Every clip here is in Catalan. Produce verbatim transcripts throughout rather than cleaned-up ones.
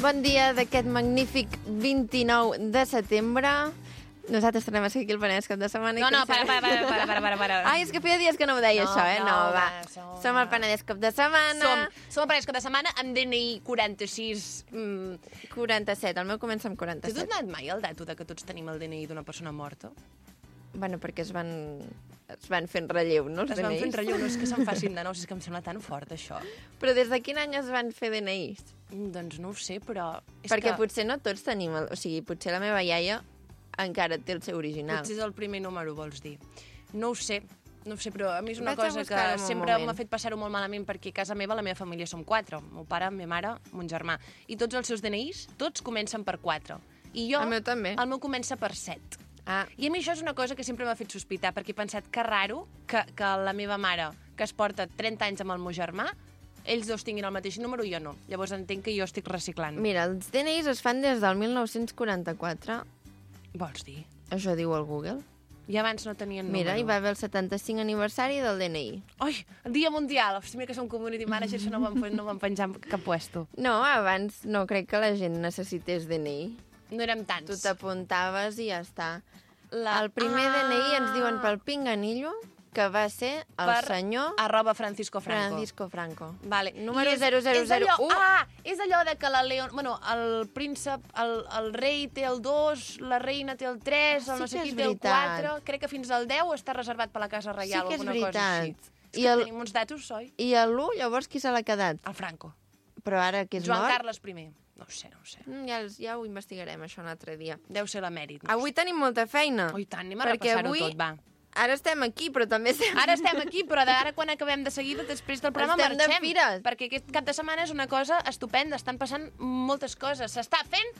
Bon dia d'aquest magnífic vint-i-nou de setembre. Nosaltres tornem a ser aquí el Penedès cap de setmana. No, no, para, para, para, para, para, para, para. Ai, és que feia dies que no ho deia, No, això, eh? No, no, va. va, som- Som el Penedès cap de setmana. Som, som el Penedès cap de setmana amb D N I quaranta-sis... Mm. quaranta-set, el meu comença amb T'has quaranta-set. donat mai el dato de que tots tenim el D N I d'una persona morta? Bueno, perquè es van, es van fent relleu, no, els Es van D N Is? fent relleu, no és que se'n facin de nous, és que em sembla tan fort, això. Però des de quin any es van fer D N Is? Mm, Doncs no ho sé, però... És Perquè que potser no tots tenim... El... O sigui, potser la meva iaia encara té el seu original. potser és el primer número, vols dir. No ho sé, no ho sé, però a mi és una Vaig a cosa que buscar-ho un sempre moment. m'ha fet passar-ho molt malament, perquè a casa meva, la meva família som quatre, el meu pare, la meva mare, mon germà, i tots els seus D N Is, tots comencen per quatre. I jo, El meu també. el meu comença per set. Ah, I a mi això és una cosa que sempre m'ha fet sospitar, perquè he pensat que raro que, que la meva mare, que es porta trenta anys amb el meu germà, ells dos tinguin el mateix número i jo no. Llavors entenc que jo estic reciclant. mira, els D N Is es fan des del mil nou-cents quaranta-quatre. Vols dir? Això diu el Google. I abans no tenien Mira, número. hi va haver el setanta-cinc aniversari del D N I. Ai, Dia Mundial! Hosti, mira que som community manager, això no ho vam, no ho vam penjar en cap puesto. No, abans no crec que la gent necessités D N I. No érem tants. Tu t'apuntaves i ja està. La- El primer Ah! D N I ens diuen pel pinganillo que va ser el Per senyor arroba Francisco Franco. Francisco Franco. Vale. Número I és- zero zero és zero allò- u. Ah, és allò de que la Leon... Bueno, el príncep, el, el rei té el dos, la reina té el tres, el Sí no sé que qui és té el veritat. quatre... Crec que fins al deu està reservat per la Casa Reial Sí que és o alguna cosa així. veritat. És I que el- tenim uns datos, oi? I a l'u, llavors, qui se l'ha quedat? El Franco. Però ara que és Joan mort... Carles I. No ho sé, no ho sé. Mm, Ja, els- ja ho investigarem, això, un altre dia. Deu ser l'emèrit. No Avui tenim molta feina. Oh, i tant, anem a perquè repassar-ho avui- tot, va. Ara estem aquí, però també estem... Ara estem aquí, però d'ara quan acabem de seguida, després del programa Estem de marxem. fires. Perquè aquest cap de setmana és una cosa estupenda, estan passant moltes coses. S'està fent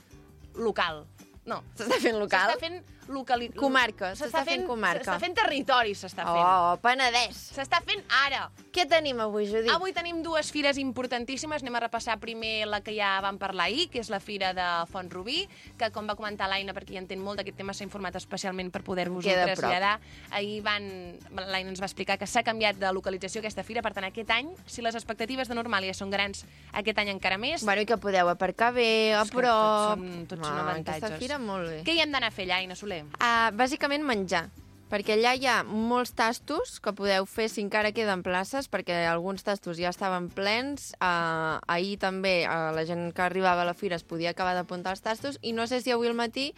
local. No, S'està fent local? s'està fent locali... Comarca, s'està fent comarca. S'està fent territori, s'està fent. Oh, Penedès! S'està fent ara. Què tenim avui, Judit? Avui tenim dues fires importantíssimes. Anem a repassar primer la que ja vam parlar ahir, que és la fira de Font-rubí, que, com va comentar l'Aina, perquè hi entén molt d'aquest tema, s'ha informat especialment per poder-vos-ho Queda a prop. traslladar. Ahir van... l'Aina ens va explicar que s'ha canviat de localització aquesta fira, per tant, aquest any, si les expectatives de Normàlia són grans, aquest any encara més. Bueno, i que podeu aparcar bé, a És que prop... tots són- tots són Ah, avantatges. Aquesta fira molt bé. Què hi hem d'anar a fer allà, Aina Soler? Uh, bàsicament menjar, perquè allà hi ha molts tastos que podeu fer si encara queden places, perquè alguns tastos ja estaven plens. Uh, ahir també uh, la gent que arribava a la fira es podia acabar d'apuntar els tastos i no sé si avui al matí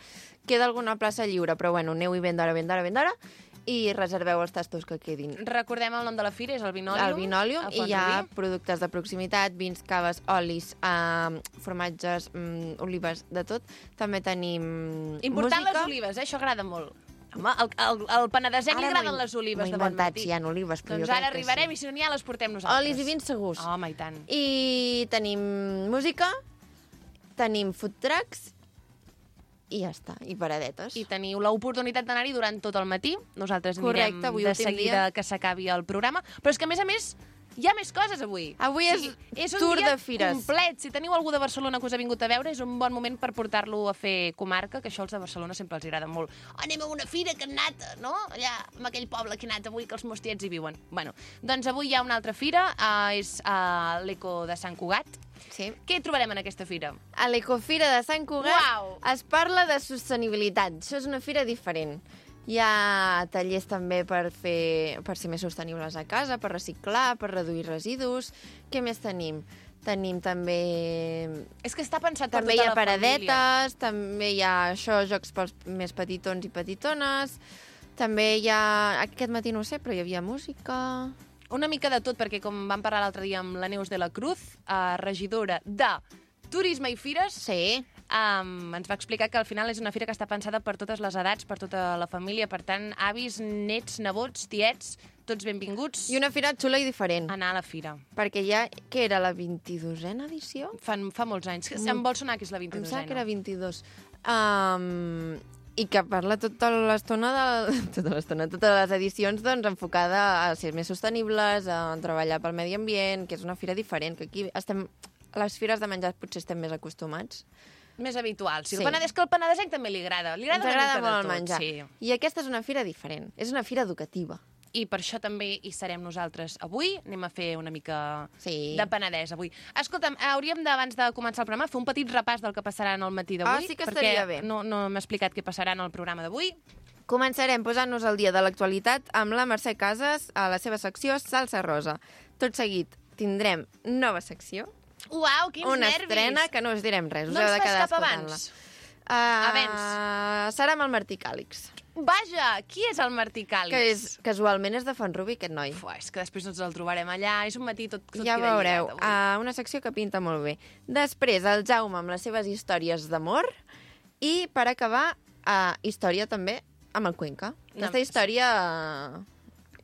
queda alguna plaça lliure, però bueno, aneu-hi ben d'hora, ben d'hora, ben d'hora i reserveu els tastos que quedin. Recordem el nom de la fira, és el Vinòlium. El Vinòlium, a i hi ha Font-rubí. productes de proximitat, vins, caves, olis, uh, formatges, um, olives, de tot. També tenim Important música. les olives, eh? Això agrada molt. Home, al, al, al penedesenc li Ara agraden m'ho- les olives m'ho de he bon inventat, matí. si hi ha olives, però doncs jo crec ara que arribarem sí. i si no n'hi ha les portem nosaltres. Olis i vins segurs. Home, i tant. I tenim música, tenim food trucks i ja està, i paradetes. I teniu l'oportunitat d'anar-hi durant tot el matí. Nosaltres Correcte, anirem avui de últim seguida dia. que s'acabi el programa. Però és que, a més a més, hi ha més coses avui. Avui és és un tour dia de fires. complet. Si teniu algú de Barcelona que us ha vingut a veure, és un bon moment per portar-lo a fer comarca, que això als de Barcelona sempre els agrada molt. Oh, anem a una fira que han anat, no? Allà, amb aquell poble que han anat avui, que els meus tiets hi viuen. Bueno, doncs avui hi ha una altra fira, uh, és uh, l'Eco de Sant Cugat. Sí. Què hi trobarem en aquesta fira? A l'Ecofira de Sant Cugat Uau! es parla de sostenibilitat. Això és una fira diferent. Hi ha tallers també per fer per ser més sostenibles a casa, per reciclar, per reduir residus. Què més tenim? Tenim també... És que està pensat per També hi tota ha la família. paradetes, també hi ha això, jocs pels més petitons i petitones. També hi ha... Aquest matí no ho sé, però hi havia música... Una mica de tot, perquè com vam parlar l'altre dia amb la Neus de la Cruz, eh, regidora de Turisme i Fires, Sí. um, ens va explicar que al final és una fira que està pensada per totes les edats, per tota la família, per tant, avis, nets, nebots, tiets, tots benvinguts I una fira xula i diferent. a anar a la fira. Perquè ja, què era, la vint-i-dosena edició? Fa, fa molts anys. Que Mm. em vol sonar que és la Em vint-i-dosena. sembla que era vint-i-dos. Um, I que parla tota l'estona, de, tota l'estona, totes les edicions, doncs, enfocada a ser més sostenibles, a treballar pel medi ambient, que és una fira diferent, que aquí estem... A les fires de menjar potser estem més acostumats. Més habitual. Sí, Sí. el Penedès, que el penedesenc també li agrada. Li agrada Ens una agrada mica molt de el tot, menjar. Sí. I aquesta és una fira diferent. És una fira educativa. i per això també hi serem nosaltres avui. Anem a fer una mica Sí. de Penedès avui. Escolta'm, hauríem d'abans de començar el programa fer un petit repàs del que passarà en el matí d'avui. Ah, sí que estaria perquè bé. no, no m'he explicat què passarà en el programa d'avui. Començarem posant-nos al dia de l'actualitat amb la Mercè Casas a la seva secció Salsa Rosa. Tot seguit tindrem nova secció, Uau, quins una nervis! estrena que no us direm res, us No heu ens de fas quedar cap escoltant-la. abans? Uh, Abans. Serà amb el Martí Càlix, Vaja, qui és el Martí Càlix? que és, casualment és de Font-rubí, aquest noi. Uf, és que després no ens el trobarem allà. És un matí tot, tot Ja queda veureu, lligat, avui. uh, una secció que pinta molt bé. Després, el Jaume amb les seves històries d'amor i, per acabar, uh, història també amb el Cuenca. No, Aquesta història... Uh,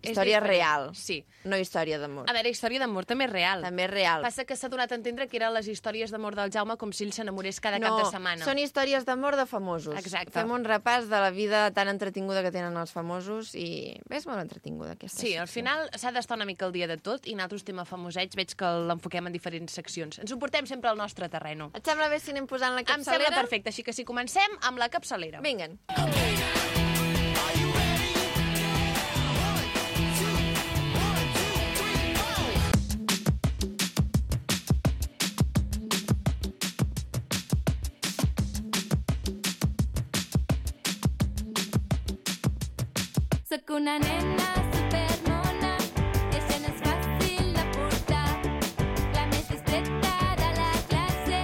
És història diferent. real, Sí. no història d'amor. A veure, història d'amor també és real. També és real. Passa que s'ha donat a entendre que eren les històries d'amor del Jaume com si ell s'enamorés cada no, cap de setmana. són històries d'amor de famosos. Exacte. Fem un repàs de la vida tan entretinguda que tenen els famosos i és molt entretinguda aquesta Sí, al secció. final s'ha d'estar una mica al dia de tot i nosaltres tema famosets veig que l'enfoquem en diferents seccions. Ens ho portem sempre al nostre terreno. Et sembla bé si anem posant la Em capçalera? sembla perfecte, així que si comencem amb la capçalera. Vinguen. Soc una nena supermona, que això no és fàcil de portar. La més discreta de la classe,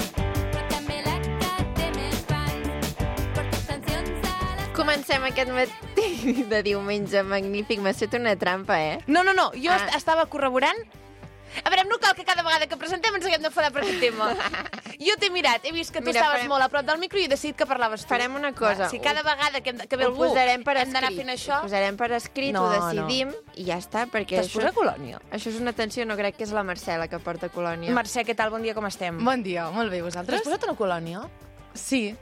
però també la que té més fans. Porto sancions a la... Comencem aquest matí de diumenge magnífic. M'has fet una trampa, eh? No, no, no, jo Ah. est- estava corroborant. A veure, no cal que cada vegada que presentem ens haguem d'enfadar per aquest tema. Jo t'he mirat, he vist que tu Mira, estaves farem- molt a prop del micro i he decidit que parlaves tu. Farem una cosa. Va, si cada vegada que, hem de, que ve Ho algú posarem per hem d'anar escrit. fent això... Ho posarem per escrit, No, ho decidim i ja està, perquè T'has això, posat colònia? això és una tensió, no crec que és la Marcela que porta colònia. Mercè, què tal? Bon dia, com estem? Bon dia, molt bé, T'has vosaltres? posat una colònia? Sí.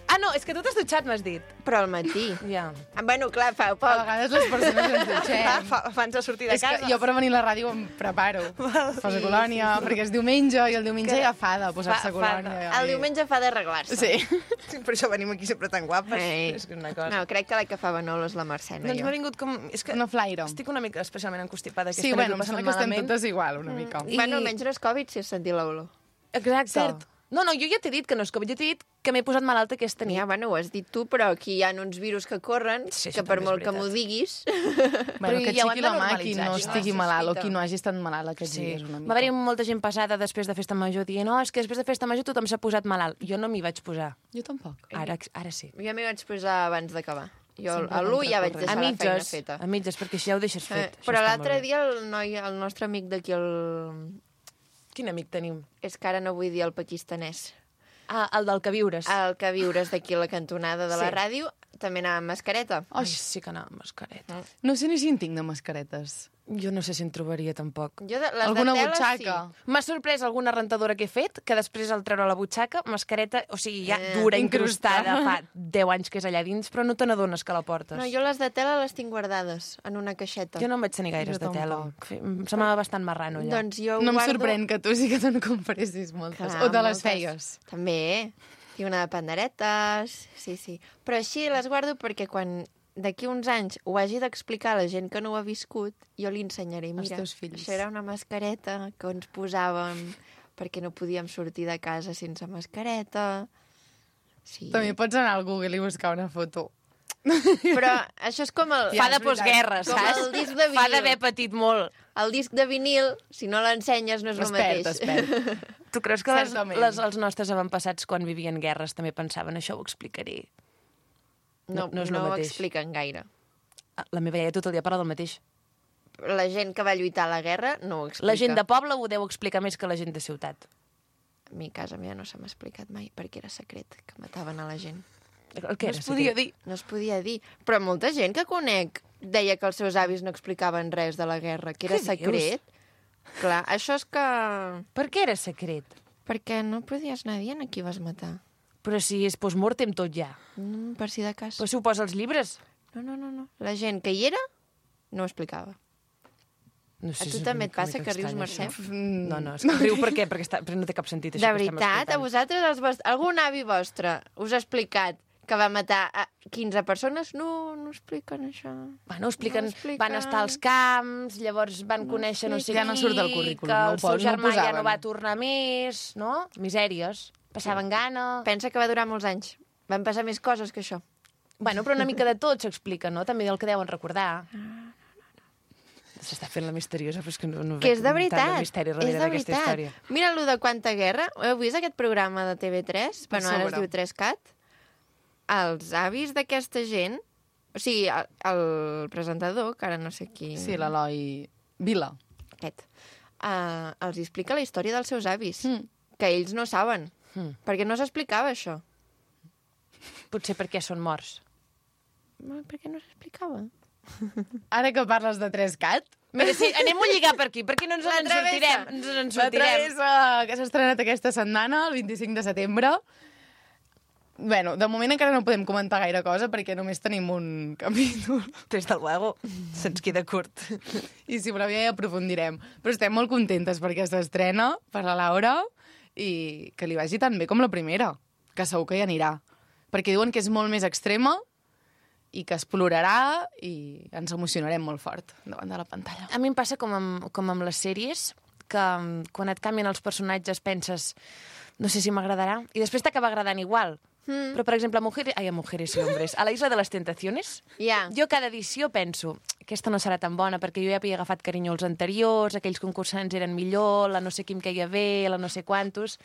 Ah, no, és que tu t'has dutxat, m'has dit. Però al matí. Ja. Ah, bueno, clar, fa A poc. vegades les persones ens dutxem. Fa, abans de sortir de És casa. que jo per venir a la ràdio em preparo. Poso colònia, perquè és diumenge i el diumenge ja fa de posar-se Fa- fa- colònia. El diumenge fa d'arreglar-se. Sí. Sí, per això venim aquí sempre tan guapes. Ei. És que és una cosa. No, crec que la que fa Manolo és la Mercè, no Doncs jo. m'ha vingut com... És que Una flaire. estic una mica especialment encostipada. Sí, bueno, em sembla que estem totes igual, una mica. I- Bueno, almenys no és Covid si has sentit l'olor. Exacte. Cert. No, no, jo ja t'he dit que no és Covid, jo t'he dit que m'he posat malalta aquesta nit. Ja, bueno, ho has dit tu, però aquí hi ha uns virus que corren, Sí, això que per també és molt que veritat. m'ho diguis... Bueno, Però que ja ho hem xiqui de la mà qui normalitzar, no això. estigui Ah, malalt o sospita. qui no hagi estat malalt aquests Sí. dies, una mica. Va haver-hi molta gent passada després de festa major dient no, és que després de festa major tothom s'ha posat malalt. Jo no m'hi vaig posar. Jo tampoc. Ara, ara sí. Jo m'hi vaig posar abans d'acabar. Jo Sempre a l'u ja vaig contracorrent. deixar A la feina mitges, feta. a mitges, perquè això ja ho deixes Eh, fet. Això però està l'altre molt bé. dia el noi, el nostre amic d'aquí, el... Quin amic tenim? és que ara no vull dir el pakistanès. Ah, el del que viures. El que viures d'aquí a la cantonada de la Sí. ràdio, també anava amb mascareta. Ai, sí que anava amb mascareta. No sé ni si en tinc de mascaretes. Jo no sé si en trobaria, tampoc. Jo de, les Alguna de tela, butxaca? sí. M'ha sorprès alguna rentadora que he fet, que després al treure la butxaca, mascareta, o sigui, ja Eh, dura, incrustada. incrustada, fa deu anys que és allà dins, però no te n'adones que la portes. No, jo les de tela les tinc guardades en una caixeta. Jo no en vaig tenir gaires Jo de tela. tampoc. Fe- Em semblava bastant marrano, allà. Doncs jo No em guardo... sorprèn que tu sí que te'n compressis moltes. Clar, O te les moltes. feies. També. I una de panderetes, sí, sí. Però així les guardo perquè quan d'aquí uns anys ho hagi d'explicar a la gent que no ho ha viscut, jo li ensenyaré. Als Mira, teus fills. això era una mascareta que ens posàvem perquè no podíem sortir de casa sense mascareta. Sí. També pots anar al Google i buscar una foto. Però això és com el... Fa de és veritat. postguerra, Com saps? el disc de Fa vinil. d'haver patit molt. El disc de vinil, si no l'ensenyes, no és Es el perd, mateix. es perd. Tu creus que les, Certament. les, els nostres avantpassats, quan vivien guerres, també pensaven això ho explicaré? No, No- no és no el ho mateix. expliquen gaire. Ah, La meva iaia tot el dia parla del mateix. La gent que va lluitar a la guerra no ho explica. La gent de poble ho deu explicar més que la gent de ciutat. A mi a casa meva no se m'ha explicat mai perquè era secret, que mataven a la gent. El que No era es podia secret? dir. No es podia dir. Però molta gent que conec deia que els seus avis no explicaven res de la guerra, que era Què dius? secret. Clar, això és que... Per què era secret? Perquè no podies anar dient a qui vas matar. Però si és postmortem tot ja. Mm, per si de cas. Però si ho posa als llibres. No, no, no, no. La gent que hi era no ho explicava. No sé, A tu és també una et mica passa que rius, estrany, Mercè? això. No, no, és que riu per què? Perquè, està, perquè no té cap sentit això De que estem veritat, a escoltant. vosaltres, els vost... algun avi vostre us ha explicat que va matar a quinze persones. No, no expliquen això. Bueno, expliquen, No expliquen. van estar als camps, llavors van No conèixer no sé Ja qui, no surt del currículum, que no ho el seu po- no ho germà ja posaven. no va tornar més, no? Misèries. Passaven gana. Pensa que va durar molts anys. Van passar més coses que això. Bueno, però una mica de tot s'explica, no? També del que deuen recordar. S'està fent la misteriosa, però és que no, no Que és de veig veritat. tant de misteri És darrere de d'aquesta veritat. història. Mira allò de Quanta Guerra. Heu vist aquest programa de T V tres? Per Bueno, ara es sobre. diu tres cat. Els avis d'aquesta gent... O sigui, el, el presentador, que ara no sé qui... Sí, l'Eloi Vila. Aquest. Uh, els explica la història dels seus avis, Mm. que ells no saben. Mm. Perquè no s'explicava això. Potser perquè són morts. No, per què no s'explicava? Ara que parles de tres cat, Mira, sí, anem a lligar per aquí, perquè no ens La en travessa. sortirem. Ens en la sortirem. travessa que s'ha estrenat aquesta setmana, el vint-i-cinc de setembre. Bueno, de moment encara no podem comentar gaire cosa perquè només tenim un capítol Des de luego, se'ns queda curt. i si voleu ja hi aprofundirem. Però estem molt contentes perquè s'estrena per la Laura i que li vagi tan bé com la primera, que segur que hi anirà. Perquè diuen que és molt més extrema i que es plorarà i ens emocionarem molt fort davant de la pantalla. A mi em passa com amb, com amb les sèries, que mm, quan et canvien els personatges penses no sé si m'agradarà, i després t'acaba agradant igual. Mm. Però, per exemple, a Mujeres, ai, a Mujeres y Hombres, a la Isla de les Tentaciones, Ja. jo cada edició penso aquesta no serà tan bona perquè jo ja havia agafat carinyo als anteriors, aquells concursants eren millor, la no sé qui em queia bé, la no sé quantos...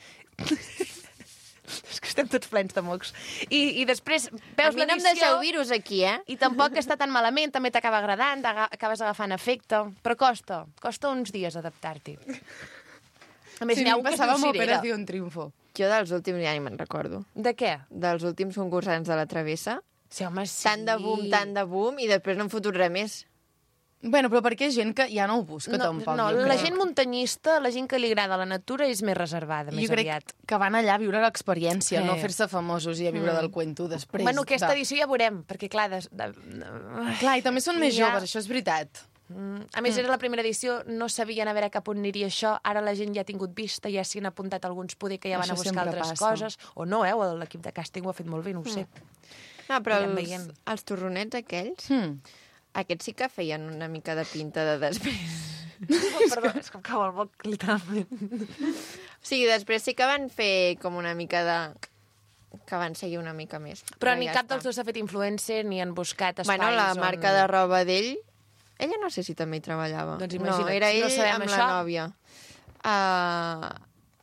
És que estem tots plens de mocs. I, i després A veus mi no em l'edició... deixeu virus aquí, eh? I tampoc està tan malament, també t'acaba agradant, t'aga- acabes agafant efecte, però costa, costa uns dies adaptar-t'hi. A més, Sí, n'hi ha a mi un que es passava diu amb Cirera. Operació Triunfo. Jo dels últims ja ni me'n recordo. De què? Dels últims concursants de la Travessa. Sí, home, sí. Tant de boom, tant de boom, i després no en fotré res més. Bueno, però perquè és gent que ja no ho busca No, tampoc. no jo la crec. gent muntanyista, la gent que li agrada la natura, és més reservada, més Jo crec aviat. que van allà a viure l'experiència, Sí. no fer-se famosos i a viure Mm. del cuento després. Bueno, aquesta de... edició ja veurem, perquè clar... De, de, Clar, i també són més Ja. joves, això és veritat. Mm, A més, era la primera edició, no sabien a veure cap on aniria això, ara la gent ja ha tingut vista, ja s'hi han apuntat alguns, poder que ja van Això a buscar sempre altres passa. coses, o no, eh? O l'equip de càsting ho ha fet molt bé, no ho sé. No, però Anirem els, veient. els torronets aquells, Hmm. aquests sí que feien una mica de pinta de després. Oh, perdó, és que em cau el moc, literalment. O sigui, després sí que van fer com una mica de... que van seguir una mica més. Però ni ja cap està. dels dos s'ha fet influencer, ni han buscat espais Bueno, la on... marca de roba d'ell, ella no sé si també hi treballava. Doncs no, imagina't, era si no ell sabem amb això. la nòvia. Uh,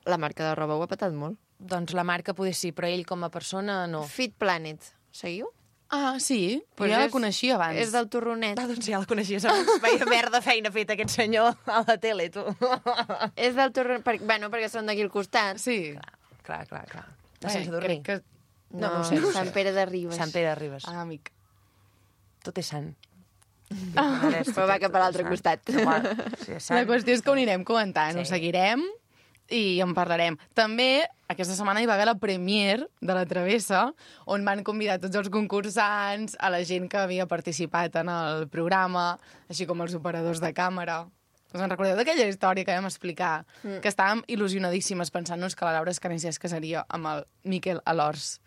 la marca de roba ho ha patat molt. Doncs la marca poder sí, però ell com a persona no. Fit Planet, seguiu? Ah, sí? Pues Pues ja la és- coneixia abans. És del torronet. Ah, doncs ja la coneixies abans. Veia merda feina feta aquest senyor a la tele, tu. És del torronet, per, bueno, perquè són d'aquí al costat. Sí. Clar, clar, clar. De Bé, sense dormir. crec que... No, no ho sé, no ho sé. Sant Pere de Ribes. Sant Pere de Ribes. Ah, amic. Tot és sant. Però va cap a l'altre costat. Sí, és La sant. qüestió és que ho anirem comentant, Sí. ho seguirem i en parlarem. També, aquesta setmana hi va haver la premier de la Travessa, on van convidar tots els concursants, a la gent que havia participat en el programa, així com els operadors de càmera. Us en recordeu d'aquella història que vam explicar? Mm. Que estàvem il·lusionadíssimes pensant-nos que la Laura Escanés es casaria amb el Miquel Alors.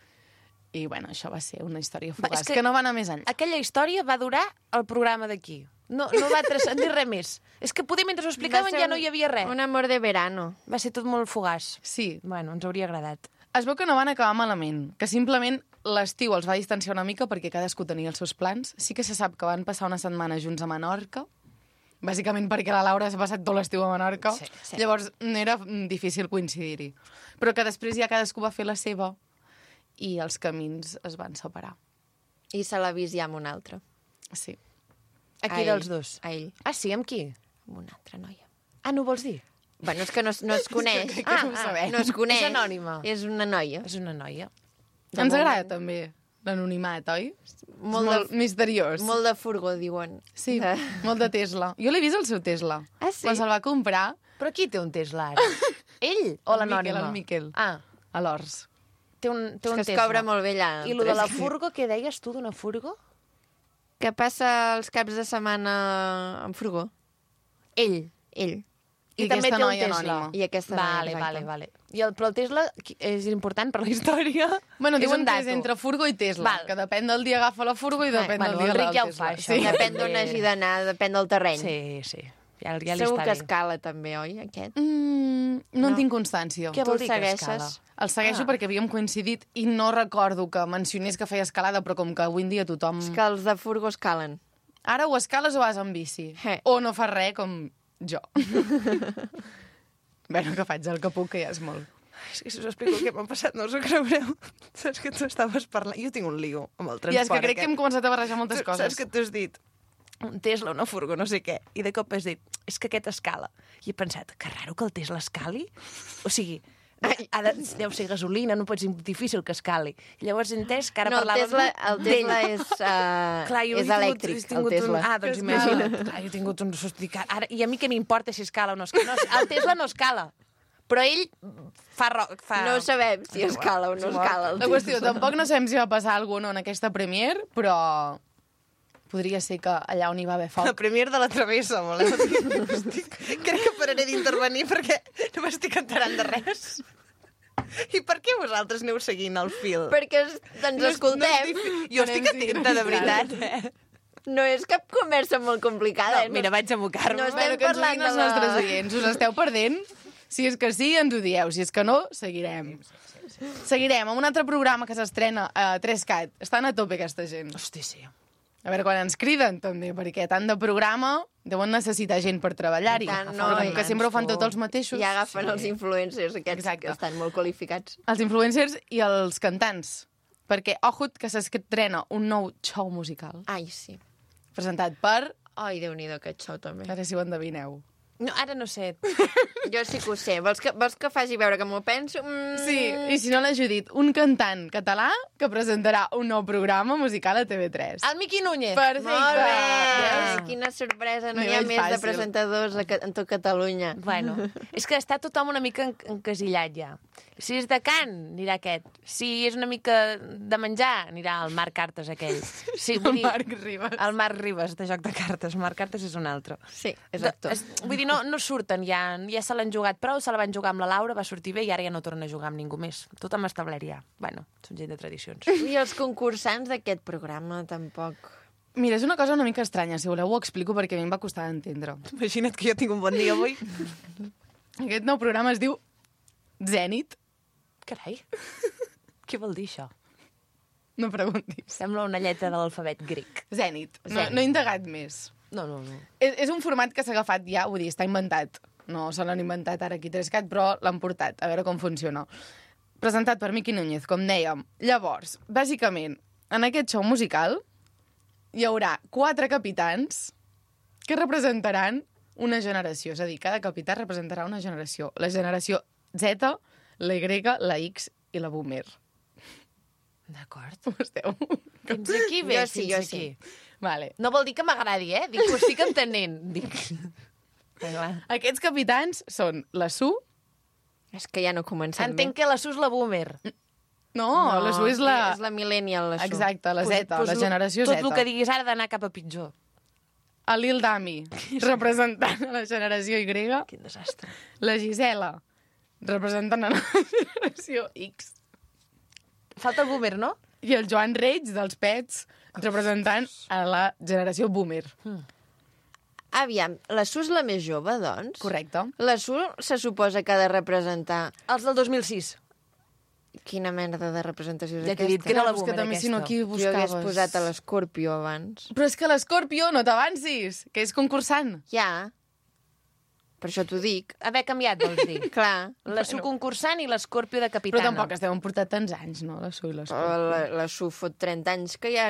I, bueno, això va ser una història Va, és fugaç, que- que... no va anar més enllà. Aquella història va durar el programa d'aquí. No, no va transcendir res més. És que poder mentre ho explicaven ja no hi havia res. Un amor de verano. Va ser tot molt fugaç. Sí, Bueno, ens hauria agradat. es veu que no van acabar malament, que simplement l'estiu els va distanciar una mica perquè cadascú tenia els seus plans. Sí que se sap que van passar una setmana junts a Menorca, bàsicament perquè la Laura s'ha passat tot l'estiu a Menorca, Sí, sí. llavors era mm, difícil coincidir-hi. Però que després ja cadascú va fer la seva i els camins es van separar. I se l'ha vist ja amb un altre. Sí. A qui A ell. dels dos? A ell, Ah, sí? Amb qui? amb una altra noia. Ah, no ho vols dir? Bueno, és que no, es- no es coneix. crec que no ho ah, sabem. no es coneix. És anònima. És una noia. És una noia. De Ens moment- agrada també l'anonimat, oi? Molt És molt de- misteriós. Molt de furgó, diuen. Sí, De... molt de Tesla. Jo l'he vist el seu Tesla. Ah, sí? Quan se'l va comprar, Però qui té un Tesla ara? Ell o El l'anònima? Miquel, el Miquel. Ah, a l'Ors. té un, té És un que es Tesla. cobra molt bé allà. I lo de la Tres. furgo, què deies tu d'una furgo? Que passa els caps de setmana amb furgó. Ell. Ell. I, I també aquesta té un noia Tesla. anònima. I aquesta noia, Vale, exacte. vale, vale. I el, però el Tesla qui- és important per la història? Bueno, és diuen un que dato. és entre furgo i Tesla, Val. que depèn del dia agafa la furgo i depèn bueno, del dia el Ric agafa ja el ho fa, Tesla. això. Sí. Depèn També- d'on hagi d'anar, depèn del terreny. Sí, sí. Ja, ja li Segur està que bé. escala també, oi, aquest? Mm, no, No. en tinc constància. Què Tu vol el dir que segueixes? escala? El segueixo Ah. perquè havíem coincidit i no recordo que mencionés que feia escalada, però com que avui en dia tothom... És que els de furgo escalen. Ara o escales o vas en bici. Eh. O no fas res, com jo. Bueno, que faig el que puc, que ja és molt. És que si us explico el que m'ha passat, no us ho creureu. Saps que tu estaves parlant... Jo tinc un lío amb el transport. I és que crec que aquest. hem començat a barrejar moltes Tu coses. Saps que tu has dit un Tesla, una furgo, no sé què, i de cop has dit, és que aquest escala. I he pensat, que raro que el Tesla escali. O sigui, ha de, deu ser gasolina, no pot ser difícil que escali. I llavors he entès que ara No, el parlàvem Tesla, el Tesla d'ell. és, uh, Clar, jo és he tingut- elèctric, he el tingut Tesla. Un... Ah, doncs imagina't. Clar, jo he tingut un sospicat. Ara, I a mi què m'importa si escala o no escala? No, el Tesla no escala. Però ell fa... Ro... fa... No sabem si escala o no escala. el La qüestió, Tesla. tampoc no sabem si va passar alguna cosa en aquesta premier, però podria ser que allà on hi va haver La foc... premier de la travessa, voleu dir? Estic... Crec que pararé d'intervenir perquè no m'estic enterant de res. I per què vosaltres aneu seguint el fil? Perquè es- ens escoltem. Jo estic atenta, de veritat. Eh? No és cap conversa molt complicada. No, mira, vaig a mocar-me. No Bueno, estem que ens ho parlant diguin els de la- nostres oients. Us esteu perdent? Si és que sí, ens ho dieu. Si és que no, seguirem. Seguirem amb un altre programa que s'estrena a tres cat. Estan a tope aquesta gent. Hosti, sí. A veure quan ens criden, també, perquè tant de programa deuen necessitar gent per treballar-hi. Tant, Però com que sempre ho fan tots els mateixos... I agafen els influencers aquests Exacte. que estan molt qualificats. Els influencers i els cantants. Perquè, ojut, que s'estrena un nou show musical Ai, sí. presentat per... Ai, Déu-n'hi-do, aquest show també. A veure si ho endevineu. No, ara no sé. Jo sí que ho sé. Vols que, vols que faci veure que m'ho penso? Mm. Sí, i si no l'ha Judit, un cantant català que presentarà un nou programa musical a T V tres. El Miqui Núñez. Perfecte. Molt bé! Veus? Quina sorpresa. No M'hi hi ha veig més de fàcil. presentadors a, Ca- en tot Catalunya. Bueno, és que està tothom una mica en- encasillat ja. Si és de cant, anirà aquest. Si és una mica de menjar, anirà el Marc Cartes aquell. Sí, vull dir, Marc Ribas. el Marc Ribas, de Joc de Cartes. Marc Cartes és un altre. Sí, és actor. És, vull dir, no, no surten ja, ja se l'han jugat prou, se la van jugar amb la Laura, va sortir bé i ara ja no torna a jugar amb ningú més. Tothom establert ja. Bueno, són gent de tradicions. I els concursants d'aquest programa tampoc... Mira, és una cosa una mica estranya. Si voleu ho explico perquè a mi em va costar d'entendre. Imagina't que jo tinc un bon dia avui. Aquest nou programa es diu Zènit. Carai, què vol dir això? No preguntis. Sembla una lletra de l'alfabet grec. Zènit. No, Zènit. no he indagat més. No, no, no. És, és un format que s'ha agafat ja, vull dir, està inventat. No se l'han inventat ara aquí Trescat, però l'han portat, a veure com funciona. Presentat per Miqui Núñez, com dèiem. Llavors, bàsicament, en aquest show musical hi haurà quatre capitans que representaran una generació. És a dir, cada capità representarà una generació. La generació Z, la Y, la X i la Boomer. D'acord. Ho esteu? Fins aquí bé, Jo sí, fins jo aquí. sí. Vale. No vol dir que m'agradi, eh? Dic que ho estic entenent. Dic... Clar. Aquests capitans són la Su... És que ja no comencem Entenc que la Sus la boomer. No, no la Su és la... És la millennial, la Su. Exacte, la Z, Pues- pues la lo- generació tot Z. el que diguis ara ha d'anar cap a pitjor. El Lil Dami, representant a la generació Y. Quin desastre. La Gisela, representant a la generació X. Falta el boomer, no? I el Joan Reig, dels Pets, representant a la generació Boomer. Aviam, la Su és la més jove, doncs? Correcte. La Su se suposa que ha de representar... Els del dos mil sis. Quina merda de representació és Ja t'he aquesta? dit que era la Clar, és que boomer, també, si no, aquesta. aquí Jo hagués buscaves. posat a l'Escorpio abans. Però és que l'Escorpio, no t'avancis, que és concursant. Ja. Per això t'ho dic. Haver canviat, vols dir. Clar. La Su concursant i l'Escorpio de Però capitana. tampoc estem portat tants anys, no, la Su i Però l'Escorpio. la, la Su fot trenta anys que ja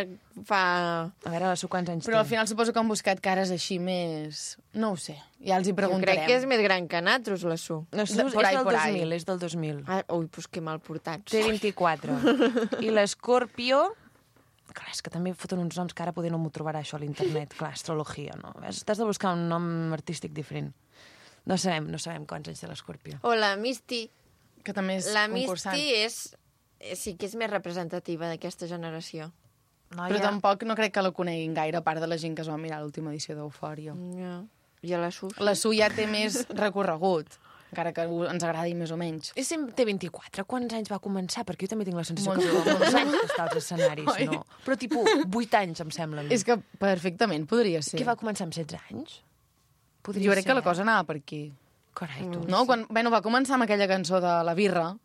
fa... A veure, la Su quants anys Però al té? final suposo que han buscat cares així més... No ho sé, ja els hi Jo preguntarem. crec que és més gran que nosaltres, la Su. La Su de- és por ahí, del por dos ahí. mil, és del dos mil. Ah, ui, doncs que mal portats. Té vint-i-quatre. I l'Escorpio... Clar, és que també foten uns noms que ara poder no m'ho trobarà això a l'internet. Clar, astrologia, no? Ves, T'has de buscar un nom artístic diferent. No sabem, no sabem quants anys té l'Escorpio. O la Misty. Que també és La concursant. Misty és... eh, Sí que és més representativa d'aquesta generació. No, Però tampoc no crec que la coneguin gaire, a part de la gent que es va mirar l'última edició d'Eufòria. Ja. I a la Su? La Su ja té més recorregut, encara que ens agradi més o menys. És T vint-i-quatre, quants anys va començar? Perquè jo també tinc la sensació Molt que jove. fa molts anys que està als escenaris, Oi? no? Però tipus vuit anys, em sembla. a mi. És que perfectament podria ser. Què va començar amb setze anys? Podria Jo crec ser, que la eh? cosa anava per aquí. Carai, tu. No? Quan, bueno, va començar amb aquella cançó de La Birra.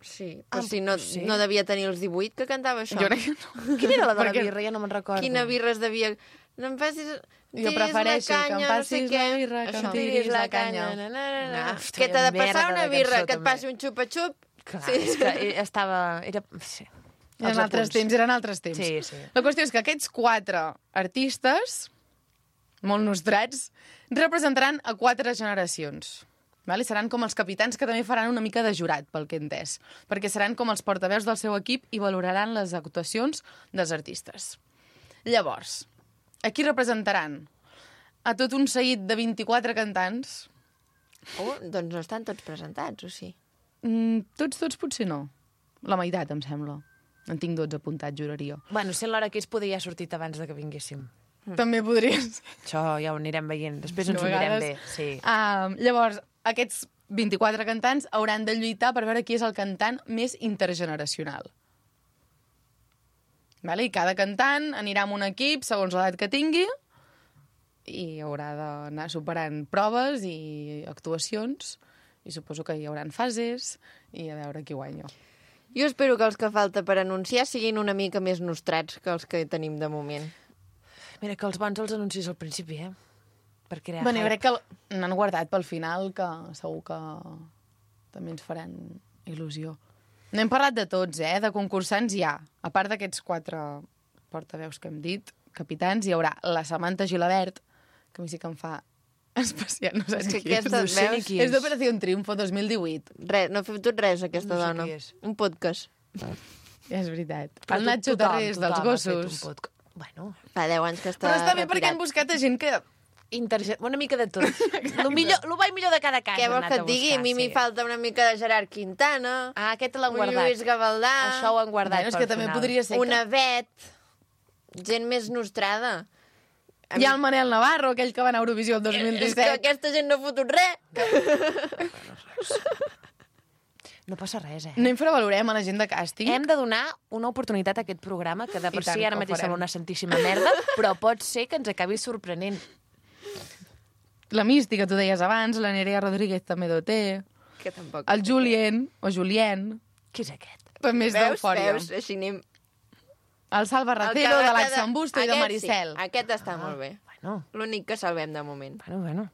Sí, Ah, però si no, sí. no devia tenir els divuit que cantava això. Jo crec que no. Quina era la de la Perquè- birra? Ja no me'n recordo. Quina birra es devia... No em facis... Jo tiris prefereixo la que em canya, no sé passis què. la birra, que em Això. tiris la canya. Na, na, na, na. No. Hosti, Què t'ha de vaya passar merda una de birra? cançó, Que et també. passi un xupa-xup? Clar, Sí. és que eh, estava... Era... Sí. Eren Els altres apunts. temps, eren altres temps. Sí, sí. La qüestió és que aquests quatre artistes, molt nostrats, representaran a quatre generacions. Vale? Seran com els capitans que també faran una mica de jurat, pel que he entès, perquè seran com els portaveus del seu equip i valoraran les actuacions dels artistes. Llavors, a qui representaran? A tot un seguit de vint-i-quatre cantants. Oh, doncs no estan tots presentats, o sí? Mm, tots, tots potser no. La meitat, em sembla. En tinc dotze apuntats, juraria. Bueno, sent l'hora que és, podria haver sortit abans de que vinguéssim. Mm. També podria ser. Això ja ho anirem veient. Després ens De ho mirem vegades- bé. Sí. Uh, llavors, aquests vint-i-quatre cantants hauran de lluitar per veure qui és el cantant més intergeneracional. Vale? I cada cantant anirà amb un equip segons l'edat que tingui i haurà d'anar superant proves i actuacions i suposo que hi haurà fases i a veure qui guanya. Jo espero que els que falta per anunciar siguin una mica més nostrats que els que tenim de moment. Mira, que els bons els anuncis al principi, eh? Per crear Bueno, jo hype. crec que n'han guardat pel final, que segur que també ens faran il·lusió. No hem parlat de tots, eh? De concursants hi ha. A part d'aquests quatre portaveus que hem dit, capitans, hi haurà la Samantha Gilabert, que a mi sí que em fa especial, no sé És ni que qui és. aquesta, no sé ni veus? qui És d'Operació Triunfo dos mil divuit. Res, no ha fet tot res, aquesta No sé dona. qui és. Un podcast. Ja és veritat. Però El tot- Nacho tothom, Tarrés, dels tothom ha fet un gossos. podca- Bueno, Fa deu anys que està Però està bé retirat. perquè han buscat a gent que... interge... una mica de tot. Lo millor, lo bo i millor de cada cas. Què han vols anat que a et digui? buscar, A mi m'hi sí. falta una mica de Gerard Quintana, Ah, aquest l'han un guardat. Lluís Gavaldà, Això ho han guardat Bueno, és pel que també final. podria ser una Bet, gent més nostrada. A Hi ha mi- el Manel Navarro, aquell que va anar a Eurovisió el dos mil És que disset. aquesta gent no ha fotut res. No passa res, eh? No infravalorem a la gent de càsting. Hem de donar una oportunitat a aquest programa, que de per I tant si ara que ho mateix farem. sembla una santíssima merda, però pot ser que ens acabi sorprenent. La Mística, tu deies abans, la Nerea Rodríguez també ho té, Que tampoc. el Julien, o Julien, Qui és aquest? també és Veus, d'Eufòria. veus? Així anem... El Salva El Racero, que de va l'Axa quedar- Busto i de Aquest Maricel. Sí, aquest està molt bé. Bueno, L'únic que salvem de moment. bueno, bueno.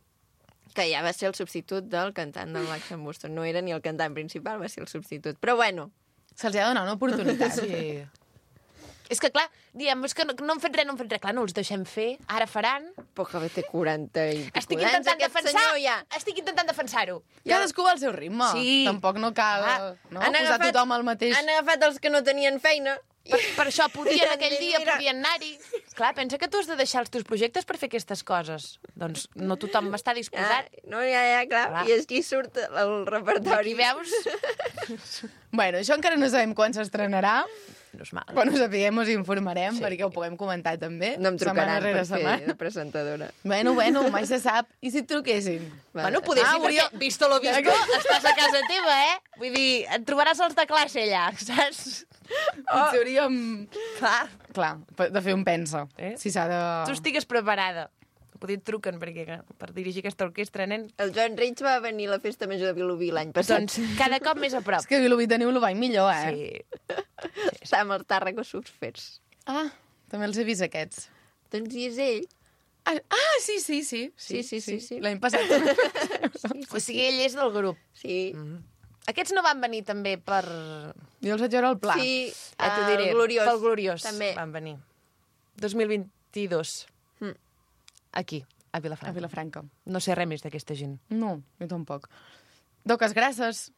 Que ja va ser el substitut del cantant del Max Busto. No era ni el cantant principal, va ser el substitut. Però bueno, Se'ls ha de donar una oportunitat. Sí. És que, clar, diem, és que no, no han fet res, no han fet res. Clar, no els deixem fer, ara faran. poca bé té quaranta i pico Estic d'anys, intentant aquest defensar, senyor ja. estic intentant defensar-ho. Cadascú va al seu ritme. Sí. Tampoc no cal Ah, no, Han posar agafat- tothom al mateix. Han agafat els que no tenien feina. Per, per això podien Mira, aquell dia, mira. podien anar-hi. Clar, pensa que tu has de deixar els teus projectes per fer aquestes coses. Doncs no tothom està Ah, disposat. no, ja, ja, clar. Clar. I així surt el repertori. Aquí veus? Bueno, això encara no sabem quan s'estrenarà. No és mal. Quan ho sapiguem us informarem, sí. perquè ho puguem comentar també. No em setmana trucaran rere per fer setmana. de presentadora. Bueno, bueno, mai se sap. I si et truquessin? Bueno, poder Ah, sí, perquè, hauria- visto lo visto, estàs a casa teva, eh? Vull dir, et trobaràs els de classe allà, saps? Potser hauríem... Clar. Clar, de fer un pensa. Eh? Si s'ha de... Tu estigues preparada. Poder et truquen perquè, per dirigir aquesta orquestra, nen. El Joan Reig va venir a la festa major de Vilobí l'any passat. Doncs cada cop més a prop. És que Vilobí teniu el bany millor, eh? Sí. Està amb els tàrragos subfets. Ah, també els he vist aquests. Doncs i és ell. Ah, ah sí, sí, sí. Sí, sí, sí, sí. L'any passat. O sigui, ell és del grup. Sí. Aquests no van venir també per... Jo els vaig veure al pla. Sí, Ah, t'ho diré. el Gloriós. Pel Gloriós També. van venir. dos mil vint-i-dos. Mm. Aquí, a Vilafranca. A Vilafranca. No sé res més d'aquesta gent. No, jo tampoc. Doques grasses,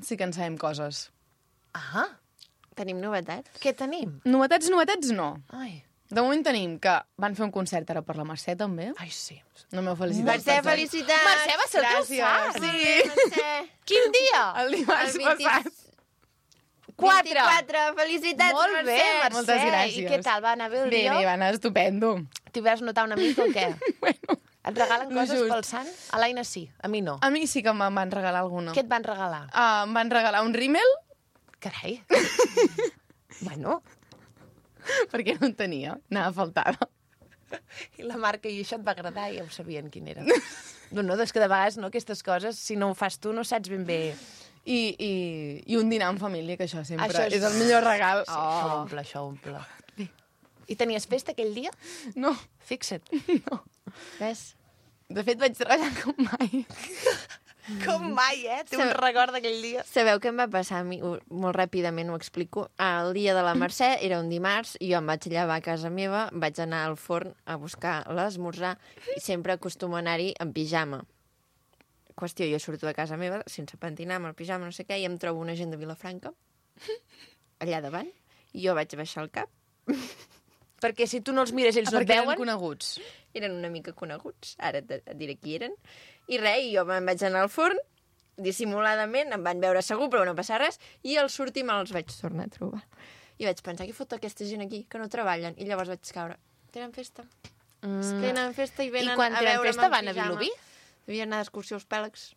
sí que en sabem coses. Ah, Tenim novetats. què tenim? Novetats, novetats, no. Ai, De moment tenim que van fer un concert ara per la Mercè, també. ai sí. No m'heu felicitat. Mercè, felicitats! Mercè, va ser el teu Gràcies. sant. Sí. Mercè. Quin dia? El dimarts El vint- passat. Quatre. vint-i-quatre. Felicitats, Molt bé, Mercè. Mercè. Moltes gràcies. I què tal? Va anar bé el Bé, dia? bé, va anar estupendo. T'hi vas notar una mica o què? Bueno, Et regalen coses Just. pel sant? A l'Aina sí, a mi no. A mi sí que me'n van regalar alguna. Què et van regalar? Uh, em van regalar un rímel, Carai. Bueno, perquè no en tenia, anava faltada. i la marca i això et va agradar i ja ho sabien quin era. No, no, és que de vegades no, aquestes coses, si no ho fas tu, no saps ben bé... I, i, i un dinar en família, que això sempre Això és... és- és el millor regal. Sí, això omple, això omple. I tenies festa aquell dia? No, Fixa't. no. Ves? De fet, vaig treballar com mai. Com mai, eh? Té un Sí. record d'aquell dia. Sabeu què em va passar a mi? Ho- Molt ràpidament ho explico. El dia de la Mercè era un dimarts i jo em vaig llevar a casa meva, vaig anar al forn a buscar l'esmorzar i sempre acostumo a anar-hi en pijama. Qüestió, jo surto de casa meva sense pentinar, amb el pijama, no sé què, i em trobo una gent de Vilafranca allà davant i jo vaig baixar el cap. Perquè si tu no els mires, ells no et Perquè eren veuen. coneguts. Eren una mica coneguts, ara et, et diré qui eren. I res, i jo me'n vaig anar al forn, dissimuladament, em van veure segur, però no passa res, i al sortir me'ls vaig tornar a trobar. I vaig pensar, què fot aquesta gent aquí, que no treballen? I llavors vaig caure. Tenen festa. Mm. Tenen festa i venen I quan a tenen veure'm festa en van a pijama. Vilobí? Devien anar d'excursió als Pèlegs,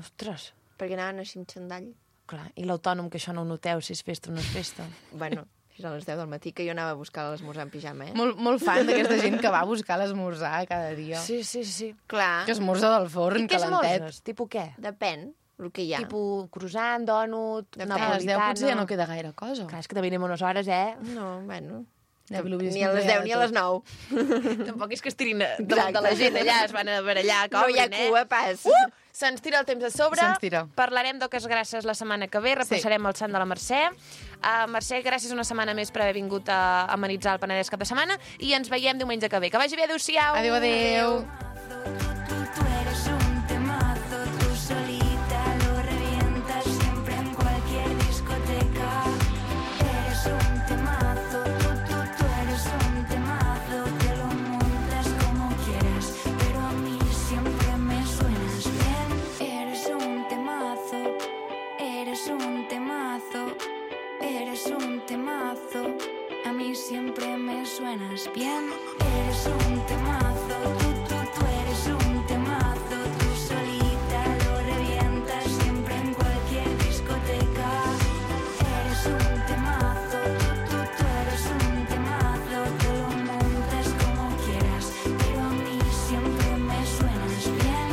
Ostres, perquè anaven així amb xandall. clar. I l'autònom, que això no ho noteu, si és festa o no és festa. Bueno, fins a les deu del matí, que jo anava a buscar l'esmorzar en pijama, eh? Molt, molt fan d'aquesta gent que va a buscar l'esmorzar cada dia. Sí, sí, sí. Clar, Que esmorza del forn, I què calentet. esmorzes? Tipus què? depèn el que hi ha. Tipus croissant, dònut, Depèn. A les deu napolitano... potser ja no queda gaire cosa. Clar, és que també anem unes hores, eh? No, bueno... Ja, Vilobí Ni a les sempre hi ha deu ni a de les tot. nou. Tampoc és que estirin davant de la gent allà, es van a barallar, No hi ha cobrin, eh? cua, pas. Uh! Se'ns tira el temps a sobre. Se'ns tira. Parlarem d'Oques Grasses la setmana que ve. Repassarem el Sant de la Mercè. Uh, Mercè, gràcies una setmana més per haver vingut a amenitzar el Penedès cap de setmana i ens veiem diumenge que ve. Que vagi bé, adéu-siau! Adéu, adéu. Tú, tú eres un temazo, tú solita lo revientas siempre en cualquier discoteca. Eres un temazo, tú, tú, tú eres un temazo, te lo montas como quieras, pero a mí siempre me suenas bien. Eres un temazo, eres un temazo, eres un temazo, a mí siempre me suenas bien. Eres un temazo, tú, tú, tú eres un temazo, tú solita lo revientas siempre en cualquier discoteca. Eres un temazo, tú, tú, tú eres un temazo, te lo montas como quieras, pero a mí siempre me suenas bien.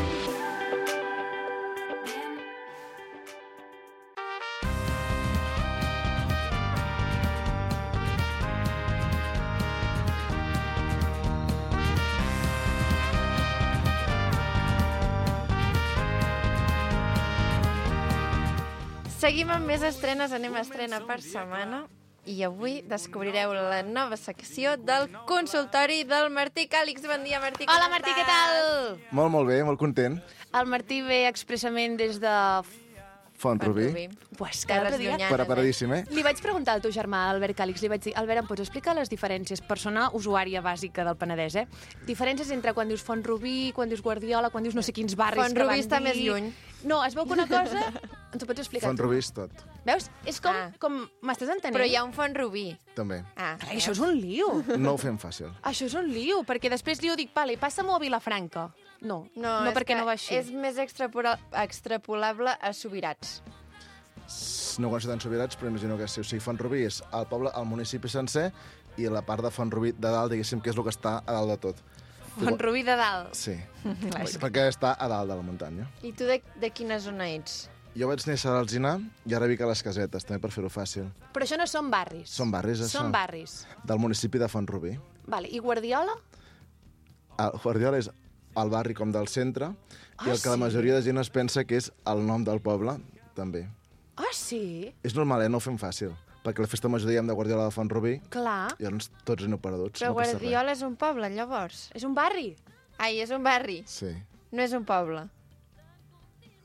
Bien. Seguim amb més estrenes, anem a estrena per setmana. I avui descobrireu la nova secció del consultori del Martí Càlix. Bon dia, Martí. com Hola, Martí, què estàs? tal? Molt, molt bé, molt content. El Martí ve expressament des de... Font Rubí. Pues Terres cada dia... llunyanes, Preparadíssim, eh? Li vaig preguntar al teu germà, Albert Càlix, li vaig dir, Albert, em pots explicar les diferències? Persona usuària bàsica del Penedès, eh? Diferències entre quan dius Font Rubí, quan dius Guardiola, quan dius no sé quins barris Font que Rubí van està dir... més lluny. No, es veu que una cosa... Ens ho pots explicar Font tu? Rubí és tot, Veus? És com... Ah. com M'estàs entenent? Però hi ha un Font Rubí. també. Ah, Carai, això és un lío. No ho fem fàcil. Això és un lío, perquè després li ho dic, vale, passa-m'ho a Vilafranca. No, No, no és perquè que no va així. És més extrapora- extrapolable a Subirats. No coneixo tant Sobirats, però imagino que sí. O sigui, Font Rubí és el poble, el municipi sencer, i la part de Font Rubí de dalt, diguéssim, que és el que està a dalt de tot. Font Rubí de dalt. Sí, perquè està a dalt de la muntanya. I tu de, de quina zona ets? Jo vaig néixer a l'Alzinar i ara vic a les Casetes, també per fer-ho fàcil. Però això no són barris. Són barris, això? Són barris. Del municipi de Font Rubí. Vale. I Guardiola? El Guardiola és el barri com del centre, Ah, i el que la sí? majoria de gent es pensa que és el nom del poble, també. Ah, sí? És normal, eh? No ho fem fàcil. Perquè la festa major diem de Guardiola de Font Rubí, Clar. i llavors tots aneu perduts. Però no passa res. Guardiola és un poble, llavors. És un barri. Ai, és un barri. Sí. No és un poble.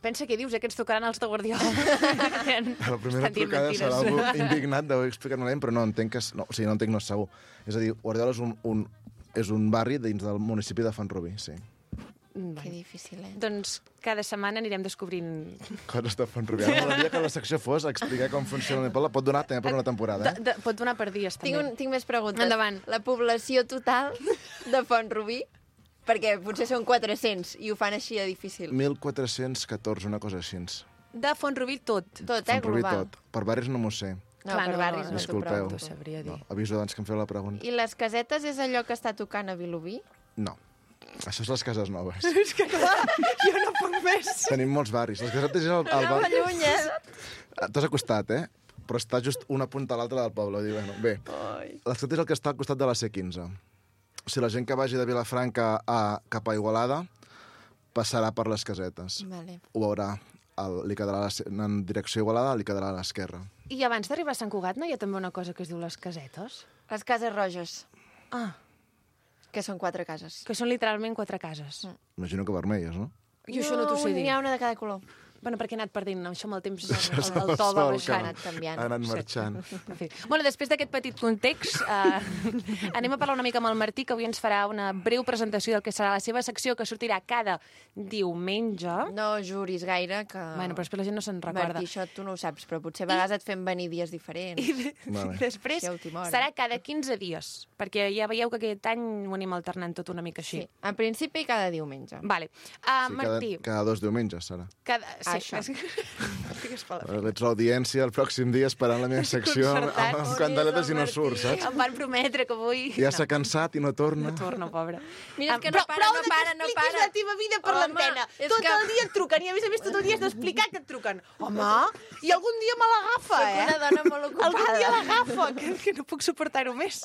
Pensa què dius, eh, que ens tocaran els de Guardiola. A la primera Estan dient trucada mentides. serà algú indignat d'haver explicat malament, però no, entenc que... és- No, o sigui, no entenc, no és segur. És a dir, Guardiola és un, un, és un barri dins del municipi de Font Rubí, sí. Que difícil, eh? Doncs cada setmana anirem descobrint... Coses de Font Rubí. Ara m'agradaria que la secció fos explicar com funciona el meu poble. Pot donar també per una temporada, De, eh? de, pot donar per dies, també. Tinc, un, tinc més preguntes. Endavant. La població total de Font Rubí? perquè potser són quatre-cents i ho fan així de difícil. mil quatre-cents catorze, una cosa així. De Font-rubí tot. Tot, eh, Font-rubí global. tot. Per barris no m'ho sé. No, Clar, per no, barris no, no t'ho disculpeu. pregunto. T'ho sabria dir. No, aviso abans que em feu la pregunta. I les casetes és allò que està tocant a Vilobí? No. Això és les cases noves. És que clar, jo no puc més. Tenim molts barris. Les casetes és el, el Anava bar... lluny, eh? T'has acostat, eh? Però està just una punta a l'altra del poble. Vull dir, bueno, bé, les casetes és el que està al costat de la C quinze. O sigui, la gent que vagi de Vilafranca a, cap a Igualada passarà per les casetes. Vale. Ho veurà. El, li quedarà a la, en direcció a Igualada, li quedarà a l'esquerra. I abans d'arribar a Sant Cugat no hi ha també una cosa que es diu les casetes? Les cases roges, Ah, que són quatre cases. que són literalment quatre cases. Mm. Imagino que vermelles, no? Jo això no t'ho sé dir. N'hi ha una de cada color. Bueno, perquè he anat perdent això amb el temps, Això és el, el el to va sol, baixant. Ha anat canviant. Ha anat marxant. En fi. Bueno, després d'aquest petit context, eh, anem a parlar una mica amb el Martí, que avui ens farà una breu presentació del que serà la seva secció, que sortirà cada diumenge. No juris gaire que... Bueno, però després la gent no se'n recorda. Martí, això tu no ho saps, però potser a vegades et fem venir dies diferents. I de, Vale. després Sí, a última hora. serà cada quinze dies, perquè ja veieu que aquest any ho anem alternant tot una mica Sí, així. en principi cada diumenge. Vale. Uh, Sí, cada, Martí, cada dos diumenges, serà. cada... Sí, Això. Estigues per la Veig l'audiència el pròxim dia esperant la meva secció amb, Concertat. amb candeletes i no surt, saps? Em van prometre que avui... Ja s'ha cansat i no torna. No torno, pobra. Mira, és Ah, que no però para, prou no de que para, no expliquis para. la teva vida per Home, l'antena. és Tot que- el dia et truquen i, a més a més, tot el dia has d'explicar que et truquen. Home, i algun dia me l'agafa, Soc eh? una dona molt ocupada. Algun dia l'agafa, que, que no puc suportar-ho més.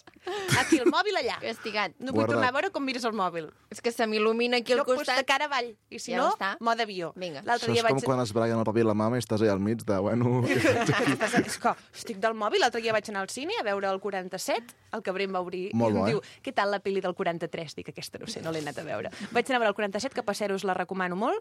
Aquí, el mòbil allà. Castigat. No vull Guarda't. tornar a veure com mires el mòbil. És que se m'il·lumina aquí al No, doncs de costat. cara avall. I si Ja no, està. mode avió. Vinga. L'altre Això dia és com vaig... quan es braien el paper i la mama i estàs allà al mig de, bueno... Estàs- És que estic del mòbil. L'altre dia vaig anar al cine a veure el quaranta-set, el que Brem va obrir. Molt I em bo, eh? diu, què tal la pel·li del quaranta-tres? Dic, aquesta no sé, no l'he anat a veure. Vaig anar a veure el quaranta-set, que per ser us la recomano molt.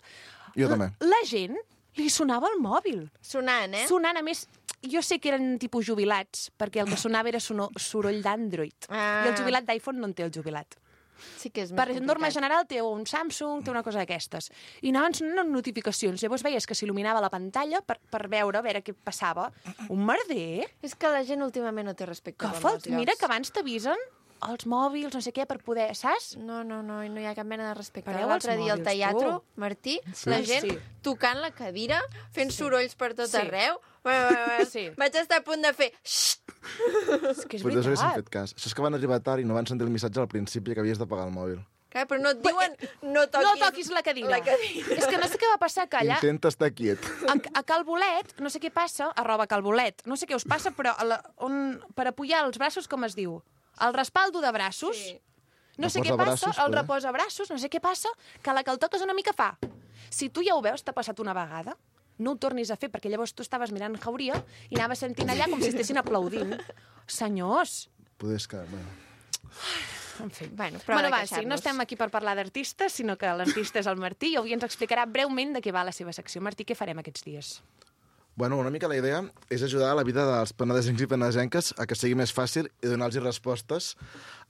Jo també. La, la gent li sonava el mòbil. Sonant, eh? Sonant, a més, jo sé que eren tipus jubilats, perquè el que sonava era sono, soroll d'Android. Ah. I el jubilat d'iPhone no en té el jubilat. Sí que és més Per complicat. norma general té un Samsung, té una cosa d'aquestes. I anaven sonant notificacions. Llavors veies que s'il·luminava la pantalla per, per veure, a veure què passava. Un merder. És que la gent últimament no té respecte Que per falt, molts mira llocs. que abans t'avisen els mòbils, no sé què, per poder, saps? No, no, no, i no hi ha cap mena de respecte. Pareu L'altre als dia al mòbils, teatre, tu. Martí, Sí. la gent Sí. tocant la cadira, fent sorolls per tot Sí. arreu. Bueno, bueno, bueno. Sí. Vaig estar a punt de fer... Xxt! És que és Potser haguéssim veritat. fet cas. Això és que van arribar tard i no van sentir el missatge al principi que havies de pagar el mòbil. Clar, però no et diuen no toquis, No toquis la cadira. La cadira. És que no sé què va passar, que allà... Intenta estar quiet. A, a Calbolet, no sé què passa, arroba Calbolet, no sé què us passa, però a la, on, per apujar els braços, com es diu? El respaldo de braços. Sí. No sé què Reposabraços, passa, el poder. reposabraços, no sé què passa, que a la que el toques una mica fa. Si tu ja ho veus, t'ha passat una vegada, no ho tornis a fer, perquè llavors tu estaves mirant Jauria i anaves sentint allà com si estessin aplaudint. Senyors! Poder és que... Bueno. En fi. Bueno, prou bueno, de va, sí, no queixar-nos. estem aquí per parlar d'artistes, sinó que l'artista és el Martí i avui ens explicarà breument de què va la seva secció. Martí, què farem aquests dies? Bueno, una mica la idea és ajudar a la vida dels penedesencs i penedesenques a que sigui més fàcil i donar-los respostes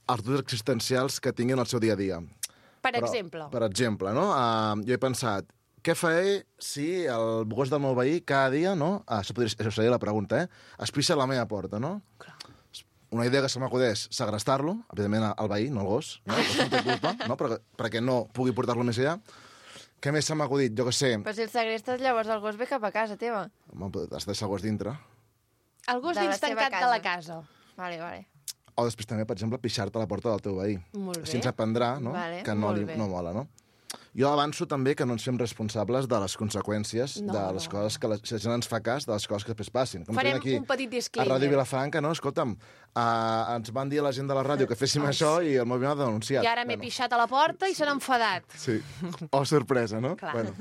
als dubtes existencials que tinguin al seu dia a dia. Per exemple. Per exemple, no? Uh, jo he pensat, què faré si el gos del meu veí cada dia, no? Ah, això, podria, això seria la pregunta, eh? Es pixa a la meva porta, no? Clar. Una idea que se m'acudeix, segrestar-lo, evidentment al veí, no al gos, no? El gos no té culpa, no? Perquè, perquè no pugui portar-lo més allà. Què més se m'ha acudit? Jo què sé. Però si el segrestes, llavors el gos ve cap a casa teva. Home, has de deixar el gos dintre. El gos De la dins seva tancat de casa. la casa. Vale, vale. O després també, per exemple, pixar-te a la porta del teu veí. Molt bé. Així ens aprendrà, no? Vale, que no, molt li, bé. no mola, no? Jo avanço també que no ens fem responsables de les conseqüències No, de les no. coses que la, si la gent ens fa cas de les coses que després passin. Com Farem fem aquí un petit a disclaimer. Ràdio Vilafranca, no? Escolta'm, uh, ens van dir a la gent de la ràdio que féssim això i el Moviment ha denunciat. I ara m'he pixat a la porta i se n'ha enfadat. Sí. Oh, sorpresa, no? Clar. Bueno,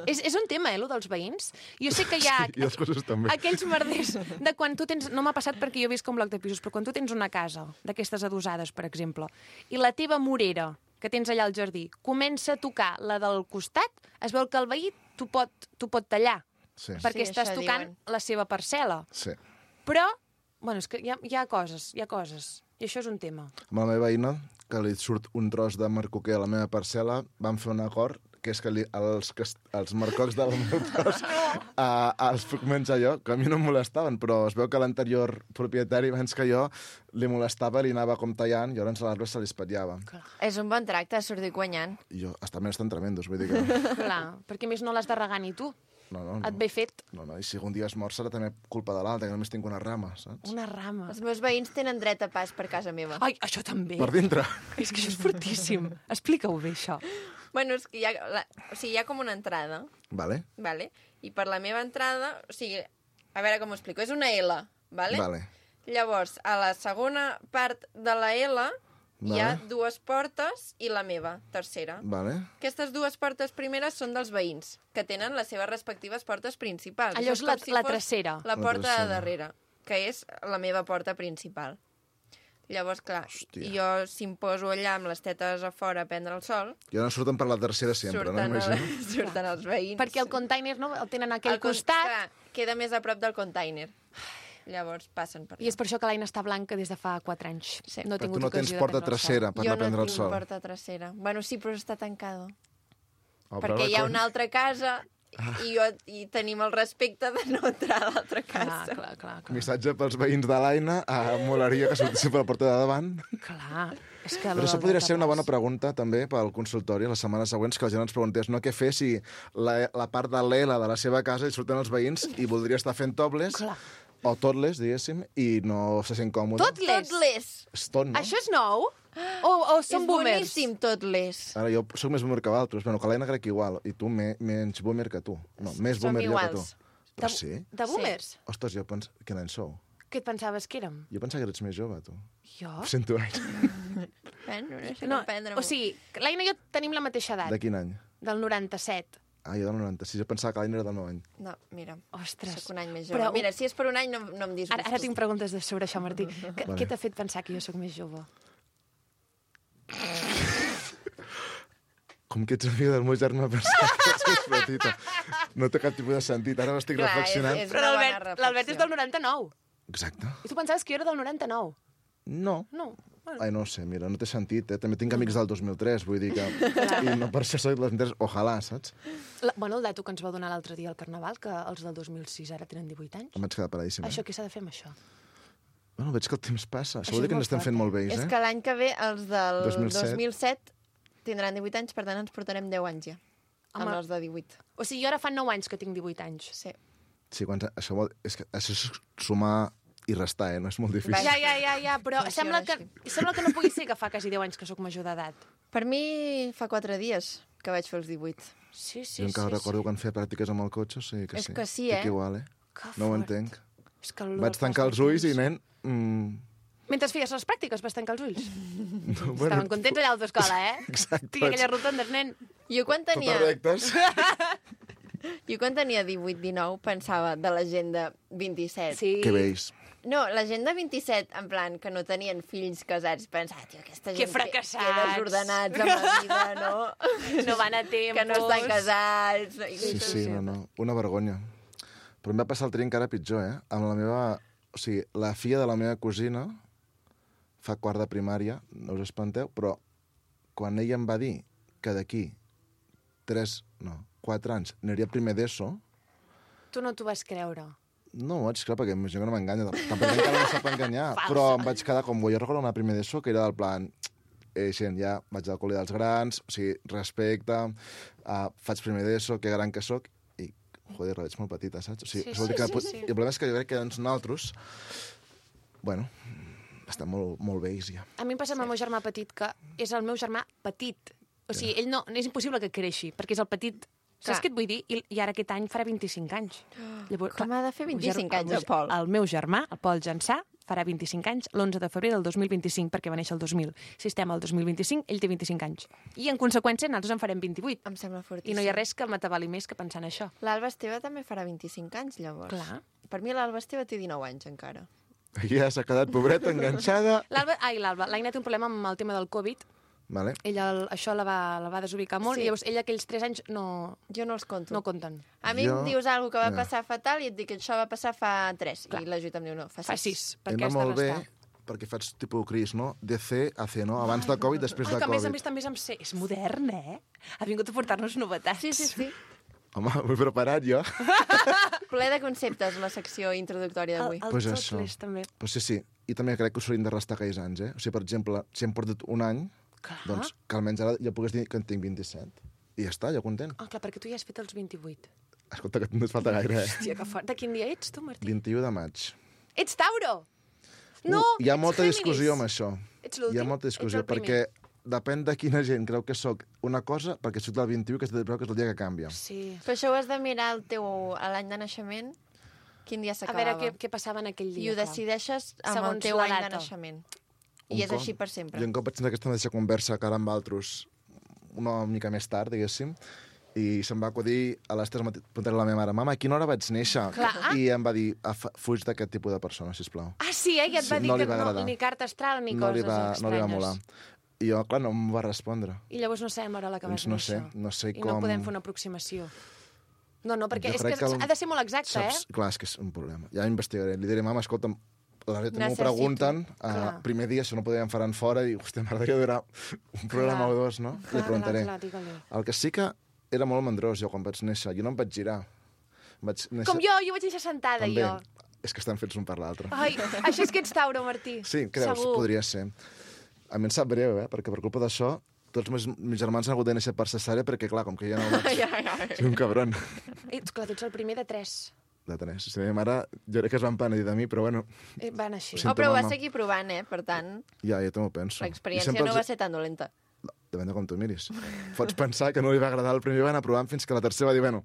És, és un tema, eh, lo dels veïns. Jo sé que hi ha sí, i els gossos també. aquells merders de quan tu tens... No m'ha passat perquè jo he vist com bloc de pisos, però quan tu tens una casa d'aquestes adosades, per exemple, i la teva morera, que tens allà al jardí, comença a tocar la del costat, es veu que el veí t'ho pot, t'ho pot tallar, Sí, perquè Sí, estàs això tocant diuen. la seva parcel·la. sí. Però, bueno, és que hi ha, hi ha coses, hi ha coses. I això és un tema. Amb la meva veïna, que li surt un tros de marcoquer a la meva parcel·la, vam fer un acord que és que li, els, cas- els marcocs del meu tros uh, els puc menjar jo, que a mi no em molestaven, però es veu que l'anterior propietari, abans que jo, li molestava, li anava com tallant, i llavors a l'arbre se li espatllava. És un bon tracte, sortir guanyant. I jo, hasta menys estan tremendos, vull dir que... Clar, perquè a més no l'has de regar ni tu. No, no, no. Et ve fet No, no, i si algun dia es mor serà també culpa de l'altre, que només tinc una rama, saps? una rama. Els meus veïns tenen dret a pas per casa meva. Ai, això també. Per dintre. És que això és fortíssim. Explica-ho bé, això. Bueno, és que hi ha, la, o sigui, hi ha com una entrada, Vale, vale? I per la meva entrada, o sigui, a veure com ho explico, és una L, vale? vale. Llavors, a la segona part de la L hi ha Vale. dues portes i la meva, tercera. Vale. Aquestes dues portes primeres són dels veïns, que tenen les seves respectives portes principals. Allò Això és la- com la fos tercera. La La porta tercera. de darrere, que és la meva porta principal. Llavors, clar, Hòstia. jo si em poso allà amb les tetes a fora a prendre el sol, Ja no surten per la tercera sempre, no? surten, el, Imagino. surten els veïns. Perquè el container no, el tenen a aquell El con- costat clar, queda més a prop del container. Llavors passen per allà. i és per això que l'Aina està blanca des de fa quatre anys. Sí. No ha Però tingut tu no tens ocasió de porta prendre el sol. trasera per jo anar a prendre no el tinc sol. porta trasera. Bueno, sí, però està tancada. Oh, perquè però hi ha com- una altra casa i, jo, i tenim el respecte de no entrar a l'altra Clar, casa. clar, clar, clar. Missatge pels veïns de l'Aina, ah, molaria que sortissin per la porta de davant. Clar. És que Però això podria ser una bona pregunta també pel consultori les setmanes següents, que la gent ens preguntés no què fer si la, la part de l'E L A de la seva casa hi surten els veïns i voldria estar fent tobles Clar. o totless, diguéssim, i no se sent còmode. Totless? Totless. És tot, no? Això és nou? O, o són És boomers? boníssim, totless. Ara jo sóc més boomer que vosaltres, bueno, que l'Aina crec que igual, i tu me, menys boomer que tu. No, més Som boomer jo que tu. iguals. Però De, sí? de boomers? Ostres, jo pens... Quin any sou? Què et pensaves que érem? Jo pensava que eres més jove, tu. Jo? Ho sento gaire. Bueno, no sé No, com prendre o sigui, l'Aina i jo tenim la mateixa edat, De quin any? del noranta-set. Ah, jo del noranta-sis, jo pensava que l'Aina era del meu any. No, mira, Ostres. sóc un any més jove. Però- Mira, si és per un any no, no em disgustis. Ara, ara tinc preguntes de sobre això, Martí. Que, Vale. Què t'ha fet pensar que jo sóc més jove? Com que ets amiga del meu germà pensava que ets més petita. No té cap tipus de sentit. Ara m'estic Clar, reflexionant. és- és- Però una bona l'Albert reflexió. l'Albert és del noranta-nou. Exacte. I tu pensaves que jo era del noranta-nou. No. No. Bueno, Ai, no sé, mira, no té sentit, eh? També tinc amics del dos mil tres, vull dir que... I no per això soc del dos mil tres, ojalà, saps? la, bueno, el dato que ens va donar l'altre dia al Carnaval, que els del dos mil sis ara tenen divuit anys. Em vaig quedar paradíssim. Això Eh? què s'ha de fer amb això? Bueno, veig que el temps passa. Això Això vol dir és que ens molt estem fort, fent eh? molt vells, És eh? que l'any que ve els del dos mil set. dos mil set tindran divuit anys, per tant ens portarem deu anys ja. Amb Home. els de divuit. O sigui, jo ara fa nou anys que tinc divuit anys. Sí. Sí, quan... això, vol... és que això és sumar i restar, eh? No és molt difícil. Vaja. Ja, ja, ja, ja, però Funciona sembla que, així. sembla que no pugui ser que fa quasi deu anys que sóc major d'edat. Per mi fa quatre dies que vaig fer els divuit. Sí, sí, jo encara sí. recordo quan feia pràctiques amb el cotxe, o sigui que És sí. que sí, Estic eh? igual, eh? Que No ho fort. entenc. És que el Vaig del tancar pas els del ulls i, temps. nen... Mm, Mentre feies les pràctiques vas tancar els ulls. no, Estaven contents allà a l'autoescola, eh? Exacte. Tinc aquelles rotondes, nen. Jo quan tenia, Totes rectes. jo quan tenia divuit dinou pensava de la gent de vint-i-set. Sí. Que vells. No, la gent de vint-i-set, en plan, que no tenien fills casats, pensava, tio, aquesta gent... Que fracassats. Que, que desordenats amb la vida, no? No van a temps. Que no estan casats. No? I Sí, coses sí, així. no, no. Una vergonya. Però em va passar el tria encara pitjor, eh? Amb la meva... O sigui, la filla de la meva cosina fa quart de primària, no us espanteu, però quan ella em va dir que d'aquí tres, no, quatre anys aniria a primer d'ESO, Tu no t'ho vas creure. no ho vaig creure perquè m'imagino que no m'enganya. Tampoc encara no sap enganyar, però em vaig quedar com... Jo recordo anar a primer d'ESO, que era del plan... Eh, gent, ja vaig al col·le dels grans, o sigui, respecte, uh, faig primer d'ESO, que gran que sóc, i, joder, la veig molt petita, saps? O sigui, Sí, això vol dir sí, que sí, pot... sí. I el problema és que jo crec que doncs nosaltres, bueno, estem molt, molt vells ja. A mi em passa amb el meu germà petit, que és el meu germà petit. O sigui, ell no, és impossible que creixi, perquè és el petit. Clar. Saps què et vull dir? I, I ara aquest any farà vint-i-cinc anys. Llavors, Com ha de fer el vint-i-cinc ger- anys, meu- el Pol? El meu germà, el Pol Jansà, farà vint-i-cinc anys l'onze de febrer del dos mil vint-i-cinc, perquè va néixer el dos mil. Si estem al dos mil vint-i-cinc, ell té vint-i-cinc anys. I, en conseqüència, nosaltres en farem vint-i-vuit. Em sembla fortíssim. I no hi ha res que m'atabali més que pensar en això. L'Alba Esteve també farà vint-i-cinc anys, llavors. Clar. Per mi l'Alba Esteve té dinou anys, encara. Ja s'ha quedat pobreta, enganxada... L'Alba, ai, l'Alba, l'Aina té un problema amb el tema del Covid. Vale. Ella el, això la va, la va desubicar molt, Sí. i llavors ella aquells tres anys no, Jo no els conto. no compten. A mi Jo- em dius alguna que va Ja. passar fatal i et dic que això va passar fa tres. Clar. I l'ajut em diu no, fa sis. Fa sis, perquè Em va has de molt bé, restar. perquè faig tipus Cris, no? D C a C, no? Abans de Covid, després Ai, de que a més a Covid. més també és amb C. És modern, eh? Ha vingut a portar-nos novetats. Sí, sí, sí. Home, m'he preparat jo. Ple de conceptes, la secció introductòria El, d'avui. el Pues tot això. l'és, també. Pues sí, sí. I també crec que us haurien de restar aquells anys, eh? O sigui, per exemple, si hem portat un any, Clar. doncs que almenys ara ja pugues dir que en tinc vint-i-set. I ja està, ja content. Ah, clar, perquè tu ja has fet els vint-i-vuit. Escolta, que no et falta gaire, eh? Hòstia, que fort. De quin dia ets, tu, Martí? vint-i-u de maig. Ets Tauro! No, Uh, hi ha ets molta Géminis. discussió amb això. Ets l'últim? Hi ha molta discussió, Ets el primer? perquè depèn de quina gent creu que sóc una cosa, perquè soc del vint-i-u, que creu que és el dia que canvia. Sí. Però això ho has de mirar el teu, a l'any de naixement, quin dia A s'acabava. veure què, què passava en aquell I dia. ho clar. decideixes amb Segons el teu la any de data. naixement. Un I és cop- així per sempre. Jo un cop vaig tenir aquesta mateixa conversa que ara amb altres, una mica més tard, diguéssim, i se'm va acudir a les tres preguntar a la meva mare, mama, a quina hora vaig néixer? Clar. I em va dir, "Afa- fuig d'aquest tipus de persona, sisplau. Ah, sí, eh? I et va Sí, dir no li que va no, agradar. ni carta astral ni No coses li, va, no li va estranyes. molar. I jo, clar, no em va respondre. I llavors no sabem a l'hora que Doncs vas no néixer. sé, no sé I no com- podem fer una aproximació. No, no, perquè Jo és crec que, que el- ha de ser molt exacte, Saps? eh? Clar, és que és un problema. Ja investigaré. Li diré, mama, escolta'm, la veritat m'ho Necessito. pregunten, uh, Clar. primer dia, si no podien faran fora, i, hòstia, m'agradaria durar un programa o dos, no? Clar, Li preguntaré. clar, clar, digue-li. El que sí que era molt mandrós, jo, quan vaig néixer. Jo no em vaig girar. Vaig néixer... Com jo, jo vaig néixer sentada, També. jo. És que estan fets un per l'altre. Ai, això és que ets Tauro, Martí. Sí, creus? Segur. Podria ser. A mi em sap greu, eh? Perquè per culpa d'això, tots meus, meus germans han hagut de néixer per cesària perquè, clar, com que ja no vaig... Ja, ja, ja. Soc un cabron. Ets, clar, tu ets el primer de tres. De tres. Si meva mare, jo crec que es van penedir de mi, però bueno, Eh, Van així. Ho Oh, sento, però ho vas mama. seguir provant, eh? Per tant, ja, ja també ho penso. I l'experiència sempre no els- va ser tan dolenta. Depèn de com tu miris. Pots pensar que no li va agradar el primer i va anar provant fins que la tercera va dir, bueno,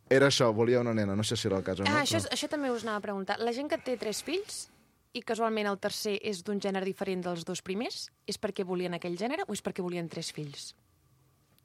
era això, volia una nena. No sé si era el cas o no. Ah, això, però... és- això també us anava a preguntar. La gent que té tres fills i casualment el tercer és d'un gènere diferent dels dos primers, és perquè volien aquell gènere o és perquè volien tres fills?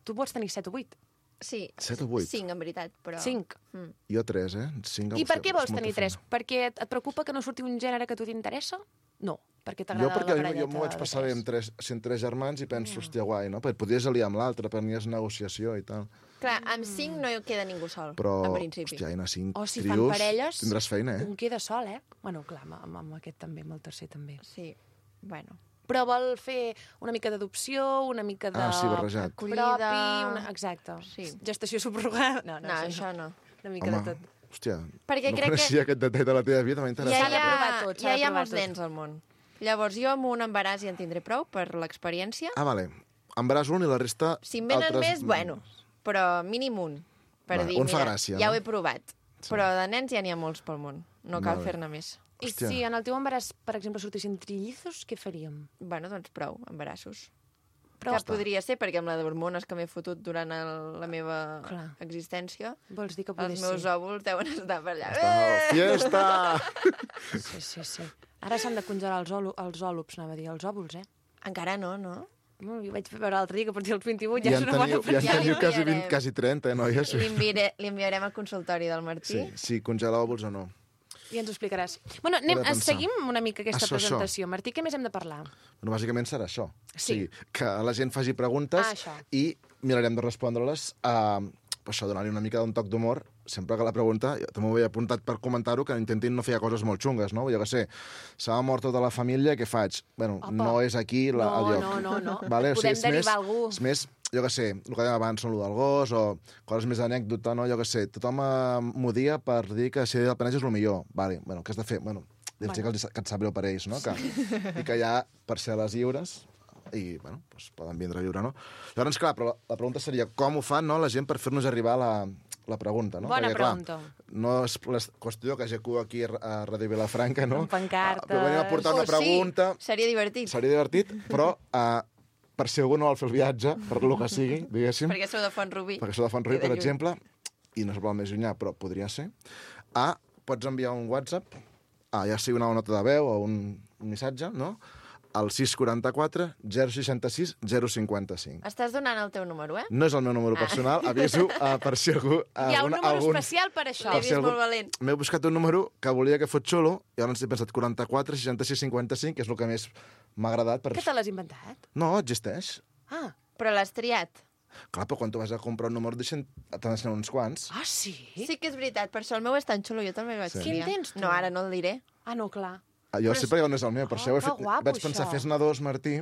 Tu pots tenir set o vuit. Sí, Set o vuit? cinc, en veritat, però... Cinc. Mm. Jo tres, eh? Cinc, I per hòstia, què vols és molta tenir tres? feina. Perquè et et preocupa que no surti un gènere que a tu t'interessa? No, perquè Jo t'agrada perquè la jo, parelleta jo m'ho vaig de passar bé tres. amb tres, sent tres germans i penso, hòstia, guai, no? Perquè podries aliar amb l'altre, prenies negociació i tal. Clar, amb cinc no hi queda ningú sol, Però, en principi. hòstia, Aina, cinc O si fan trios, parelles, tindràs feina, eh? un queda sol, eh? Bueno, clar, amb, amb, amb aquest també, amb el tercer també. Sí, bueno. Però vol fer una mica d'adopció, una mica de... Ah, sí, barrejat. Propi, Acollida. una... Exacte. Sí. Gestació subrogada. No, no, No, això no. Una mica Home, de tot. hòstia, Perquè no crec que- coneixia aquest detall de la teva vida, m'ha Ja, interessat. S'ha de hi ha, provar tot, s'ha ja de hi ha provar molts tot. nens al món. Llavors, jo amb un embaràs ja en tindré prou per l'experiència. Ah, vale. Embaràs un i la resta... Si en venen altres... més, bueno, però mínim un. Per Va, dir, un fa mira, gràcia, ja no? ho he provat. Però de nens ja n'hi ha molts pel món. No cal Vale. fer-ne més. I Hòstia. si en el teu embaràs, per exemple, sortissin trillizos, què faríem? Bueno, doncs prou, embarassos. Però Que podria ser, perquè amb la d'hormones que m'he fotut durant el, la meva Clar. existència, vols dir que poder els meus ser? òvuls deuen estar per allà. Ah, fiesta! Sí, sí, sí. Ara s'han de congelar els, òlu, els òlups, anava a dir, els òvuls, eh? Encara no, no? No, jo vaig veure l'altre dia que a partir dels vint-i-vuit Ja ja, en és una bona teniu, ja en Ja li teniu quasi, enviarem. vint, quasi trenta, eh, noies? Li, enviaré, li enviarem al consultori del Martí. Sí, sí, congelar òvuls o no. I ens ho explicaràs. Bueno, anem, He de pensar. seguim una mica aquesta Això, això. presentació. Martí, què més hem de parlar? Bueno, bàsicament serà això. Sí. O sigui, que la gent faci preguntes Ah, això. i mirarem de respondre-les a... Per això, donar-li una mica d'un toc d'humor. Sempre que la pregunta, jo també ho he apuntat per comentar-ho, que intentin no fer coses molt xungues, no? Jo què sé, s'ha mort tota la família, què faig? Bueno, Opa. no és aquí la, No, el lloc. no, no, no. Vale? Podem és derivar més, algú. És més, jo què sé, el que dèiem abans, no, el del gos, o coses més d'anècdota, no? Jo què sé, tothom eh, m'odia per dir que ser del Penedès és el millor. Vale, bueno, què has de fer? Bueno, bueno. Que, els, que et sap greu per ells, no? Que, I que ja, per ser a les lliures, i, bueno, doncs poden vindre a viure, no? Llavors, clar, però la, la pregunta seria com ho fan, no?, la gent per fer-nos arribar la, la pregunta, no? Bona Perquè, pregunta. Clar, no és la qüestió que G Q aquí a Ràdio Vilafranca, no? Amb pancartes. Ah, però venim a portar una Oh, pregunta, Sí, seria divertit. seria divertit, però uh, per si algú no vol fer el viatge, per lo que sigui, diguéssim, Perquè sou de Font-rubí. perquè sóc de Font-rubí, I de per lluny. exemple, i no és el més llunyà, però podria ser, a, pots enviar un WhatsApp, a, ja sigui una nota de veu o un, un missatge, no?, al sis quaranta quatre zero seixanta sis zero cinquanta cinc. Estàs donant el teu número, eh? No és el meu número personal, aviso, uh, per si algú... Uh, Hi ha un alguna- número algun- especial per això. L'he per vist algú- molt valent. M'he buscat un número que volia que fos xulo, i llavors he pensat quaranta-quatre seixanta sis cinquanta cinc, que és el que més m'ha agradat. Per... Que te l'has inventat? No, existeix. Ah, Però l'has triat. Clar, però quan tu vas a comprar un número, deixen... t'han d'ensenyar uns quants. ah sí? Sí que és veritat, per això el meu és tan xulo, jo també el vaig Sí. triar. Quin tens, tu? No, ara no el diré. Ah, no, clar. Jo sé perquè no és el meu, per Oh, això ho he que fet. guapo, Vaig pensar, això. fes-ne dos, Martí,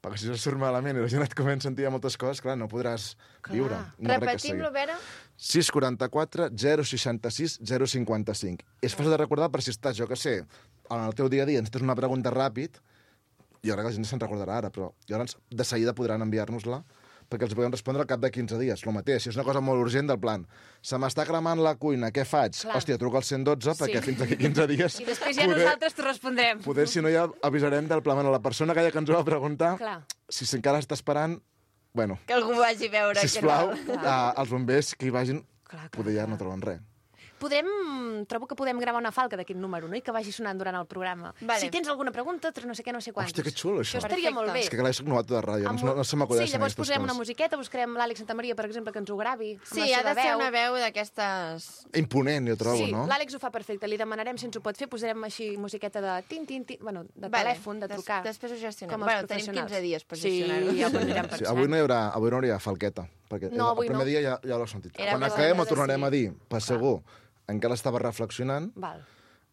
perquè si això surt malament i la gent et comença a sentir moltes coses, clar, no podràs Clar. viure. No res que Repetim-lo, seguir. Vera. sis quaranta-quatre zero seixanta-sis zero cinquanta-cinc. És fàcil de recordar per si estàs, jo que sé, en el teu dia a dia ens tens una pregunta ràpid, jo crec que la gent se'n recordarà ara, però llavors de seguida podran enviar-nos-la perquè els podem respondre al cap de quinze dies. El mateix, si és una cosa molt urgent del plan, se m'està cremant la cuina, què faig? Clar. Hòstia, truca al cent dotze perquè Sí. fins aquí quinze dies... I després ja nosaltres t'ho respondrem. Poder, si no, ja avisarem del pla. Bueno, la persona aquella que ens ho va preguntar, Clar. si encara està esperant, bueno, Que algú vagi a veure. sisplau, què tal. a, els bombers que hi vagin, Clar, clar, poder ja clar. no troben res. Podem, trobo que podem gravar una falca d'aquest número, no? I que vagi sonant durant el programa. Vale. Si tens alguna pregunta, no sé què, no sé quantos. Hòstia, que xulo, això. Això estaria Perfecte. molt bé. És que clar, jo soc novato de ràdio, Amb no, un- no se m'acudeixen Sí, llavors aquestes posem una coses. musiqueta, buscarem l'Àlex Santamaria, per exemple, que ens ho gravi. amb Sí, la ha seva de ser veu. una veu d'aquestes... Imponent, jo trobo, sí, no? l'Àlex ho fa perfecte. Li demanarem si ens ho pot fer. Posarem així musiqueta de tin, tin, tin, bueno, de Vale. telèfon, de Des- trucar. després ho gestionem. Com els Bueno, tenim professionals. quinze dies per Sí, gestionar-ho. ja ho anirem Sí, pensant. avui no hi haurà, avui no hi haurà falqueta, perquè No, avui el primer no. dia ja, ja l'ho he sentit. Era Quan que acabem l'hem ho de tornarem a dir, decidir. per segur. Encara estava reflexionant, Val.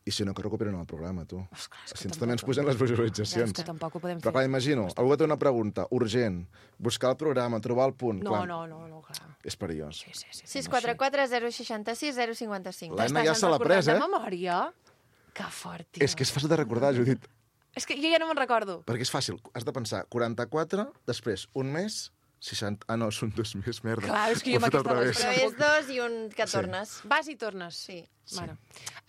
i si no, que recuperen el programa, tu. Esclar, és que Si ens tampoc- també ens pugen les visualitzacions. És que tampoc ho podem Però fer. clar, imagino, algú que té una pregunta urgent, buscar el programa, trobar el punt, No, clar, no, no, no, clar. és perillós. Sí, sí, sí. sis quatre quatre zero seixanta-sis zero cinquanta-cinc. L'Anna T'estàs ja se l'ha recordant pres, eh? de memòria? Que fort, tio. És que és fàcil de recordar, Judit, És que jo ja no me'n recordo. perquè és fàcil. Has de pensar quaranta-quatre, després un mes, seixanta... Ah, no, són dos més, merda. Clar, és que Ho jo he amb fet al aquesta revés. lògica Però és dos i un que Sí. tornes. Vas i tornes. Sí. Bueno.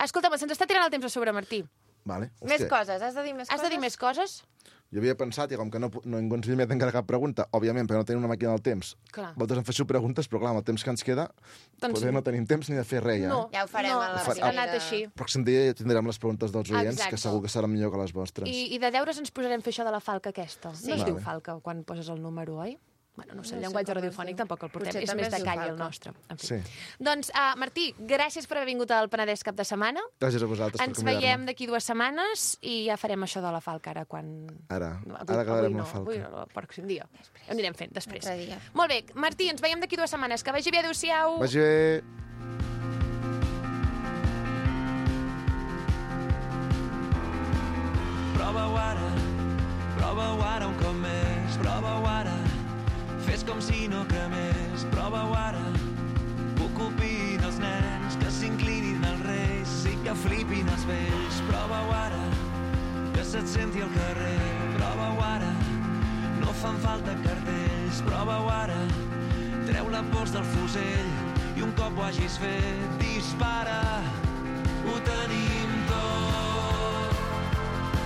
Escolta'm, se'ns està tirant el temps a sobre, Martí. Vale. Més Hòstia, coses, has de dir més Has coses? de dir més coses? Jo havia pensat, i com que no, pu- no ningú ens havia encara cap pregunta, òbviament, perquè no tenim una màquina del temps, Clar. vosaltres em feixo preguntes, però clar, amb el temps que ens queda, Doncs poder sí. no tenim temps ni de fer res, ja. No. Eh? Ja ho farem no, a la ha primera. anat així. El pròxim dia ja tindrem les preguntes dels oients, Exacte. que segur que seran millor que les vostres. I, I de deures ens posarem a fer això de la falca aquesta. Sí. No es diu Vale. falca quan poses el número, oi? Bueno, no sé, el No sé llenguatge com es radiofònic diu. tampoc el portem. Potser És també més es de diu calli el falca. nostre. En fi. Sí. Doncs, uh, Martí, gràcies per haver vingut al Penedès cap de setmana. Gràcies a vosaltres Ens per convidar-me. veiem d'aquí dues setmanes i ja farem això de la falca ara quan... Ara, No, ara acabarem no, la falca. Avui no, el pròxim dia. Ho anirem fent després. Altre dia. Molt bé, Martí, ens veiem d'aquí dues setmanes. Que vagi bé, adéu-siau. Vagi bé. Prova-ho ara, prova-ho ara un cop més, prova-ho ara, fes com si no cremés, prova-ho ara, que ocupin els nens, que s'inclinin els reis i que flipin els vells, prova-ho ara, que se't senti al carrer, prova-ho ara, no fan falta cartells, prova-ho ara, treu la pols del fusell i un cop ho hagis fet, dispara, ho tenim tot.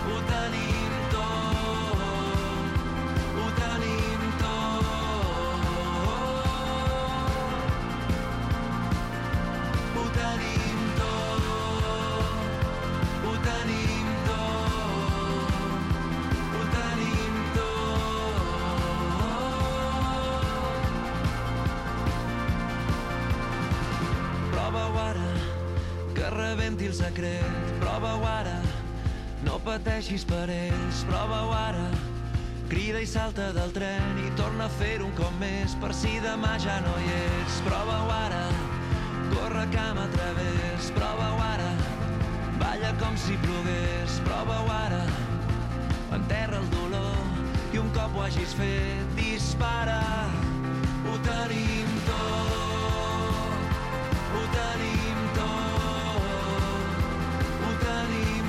Ho tenim tot, ho tenim tot. Ho tenim tot, ho tenim tot, ho tenim tot. Prova-ho ara, que rebenti el secret, prova-ho ara, no pateixis per ells, prova-ho ara. Crida i salta del tren i torna a fer-ho un cop més per si demà ja no hi ets. Prova-ho ara, corre cam a través, prova-ho ara. Balla com si plogués, prova-ho ara. Enterra el dolor i un cop ho hagis fet, dispara. Ho tenim tot, ho tenim tot, ho tenim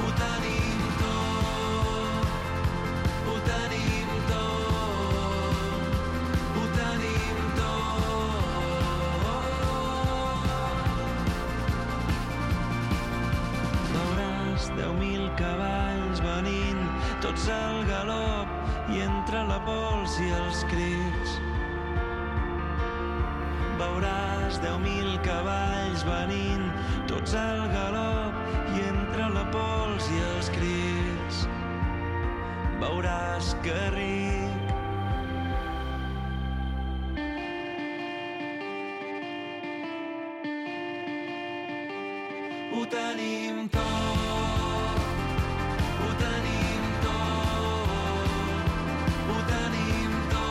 Ho tenim tot, ho tenim tot, ho tenim tot. Veuràs deu mil cavalls venint, tots al galop, i entre la pols i els crits. Veuràs deu mil cavalls venint, tots al galop, i entre la pols i els crits. Veuràs que ric. Ho tenim tot, ho tenim tot, ho tenim tot.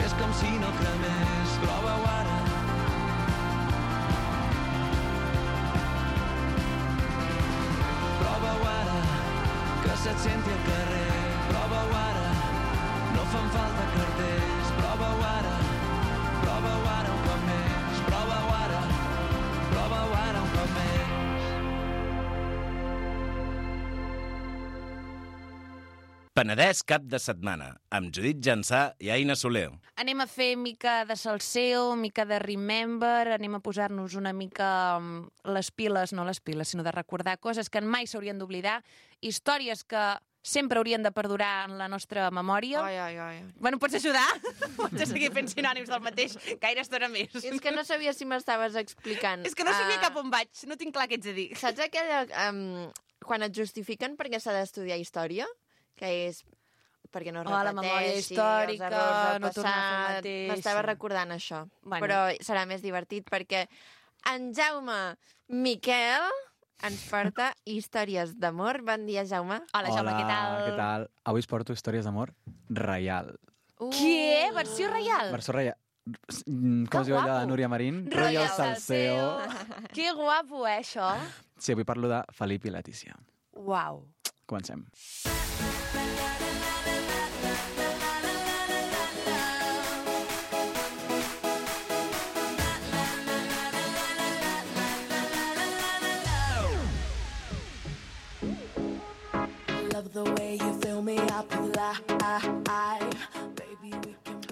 Fes com si no cremés, prova-ho ara. Prova-ho ara, que se't senti al carrer. Prova-ho ara, no fan falta cartells. Prova-ho ara, prova-ho ara un cop més. Prova-ho ara, prova-ho ara un cop més. Penedès cap de setmana, amb Judit Jansà i Aina Soler. Anem a fer mica de salseo, mica de remember, anem a posar-nos una mica um, les piles, no les piles, sinó de recordar coses que mai s'haurien d'oblidar, històries que sempre haurien de perdurar en la nostra memòria. Ai, ai, ai. Bueno, pots ajudar? Pots seguir fent sinònims del mateix gaire estona més. És que no sabia si m'estaves explicant. És que no sabia Ah, cap on vaig, no tinc clar què ets a dir. Saps aquella... Um, quan et justifiquen perquè s'ha d'estudiar història? Que és perquè no es Oh, la memòria repeteixi, històrica, els errors del no tornar a fer el passat. mateix, M'estava sí. recordant això. Bueno. Però serà més divertit perquè en Jaume Miquel ens porta històries d'amor. Bon dia, Jaume. Hola, Jaume, què tal? què tal? Avui us porto històries d'amor reial. Uh. Què? Versió reial? Versió reial. Mm, Com es diu allò de guapo. Núria Marín? Royal Salseo. Que guapo, eh, això? Sí, avui parlo de Felip i Letícia. Uau. Comencem.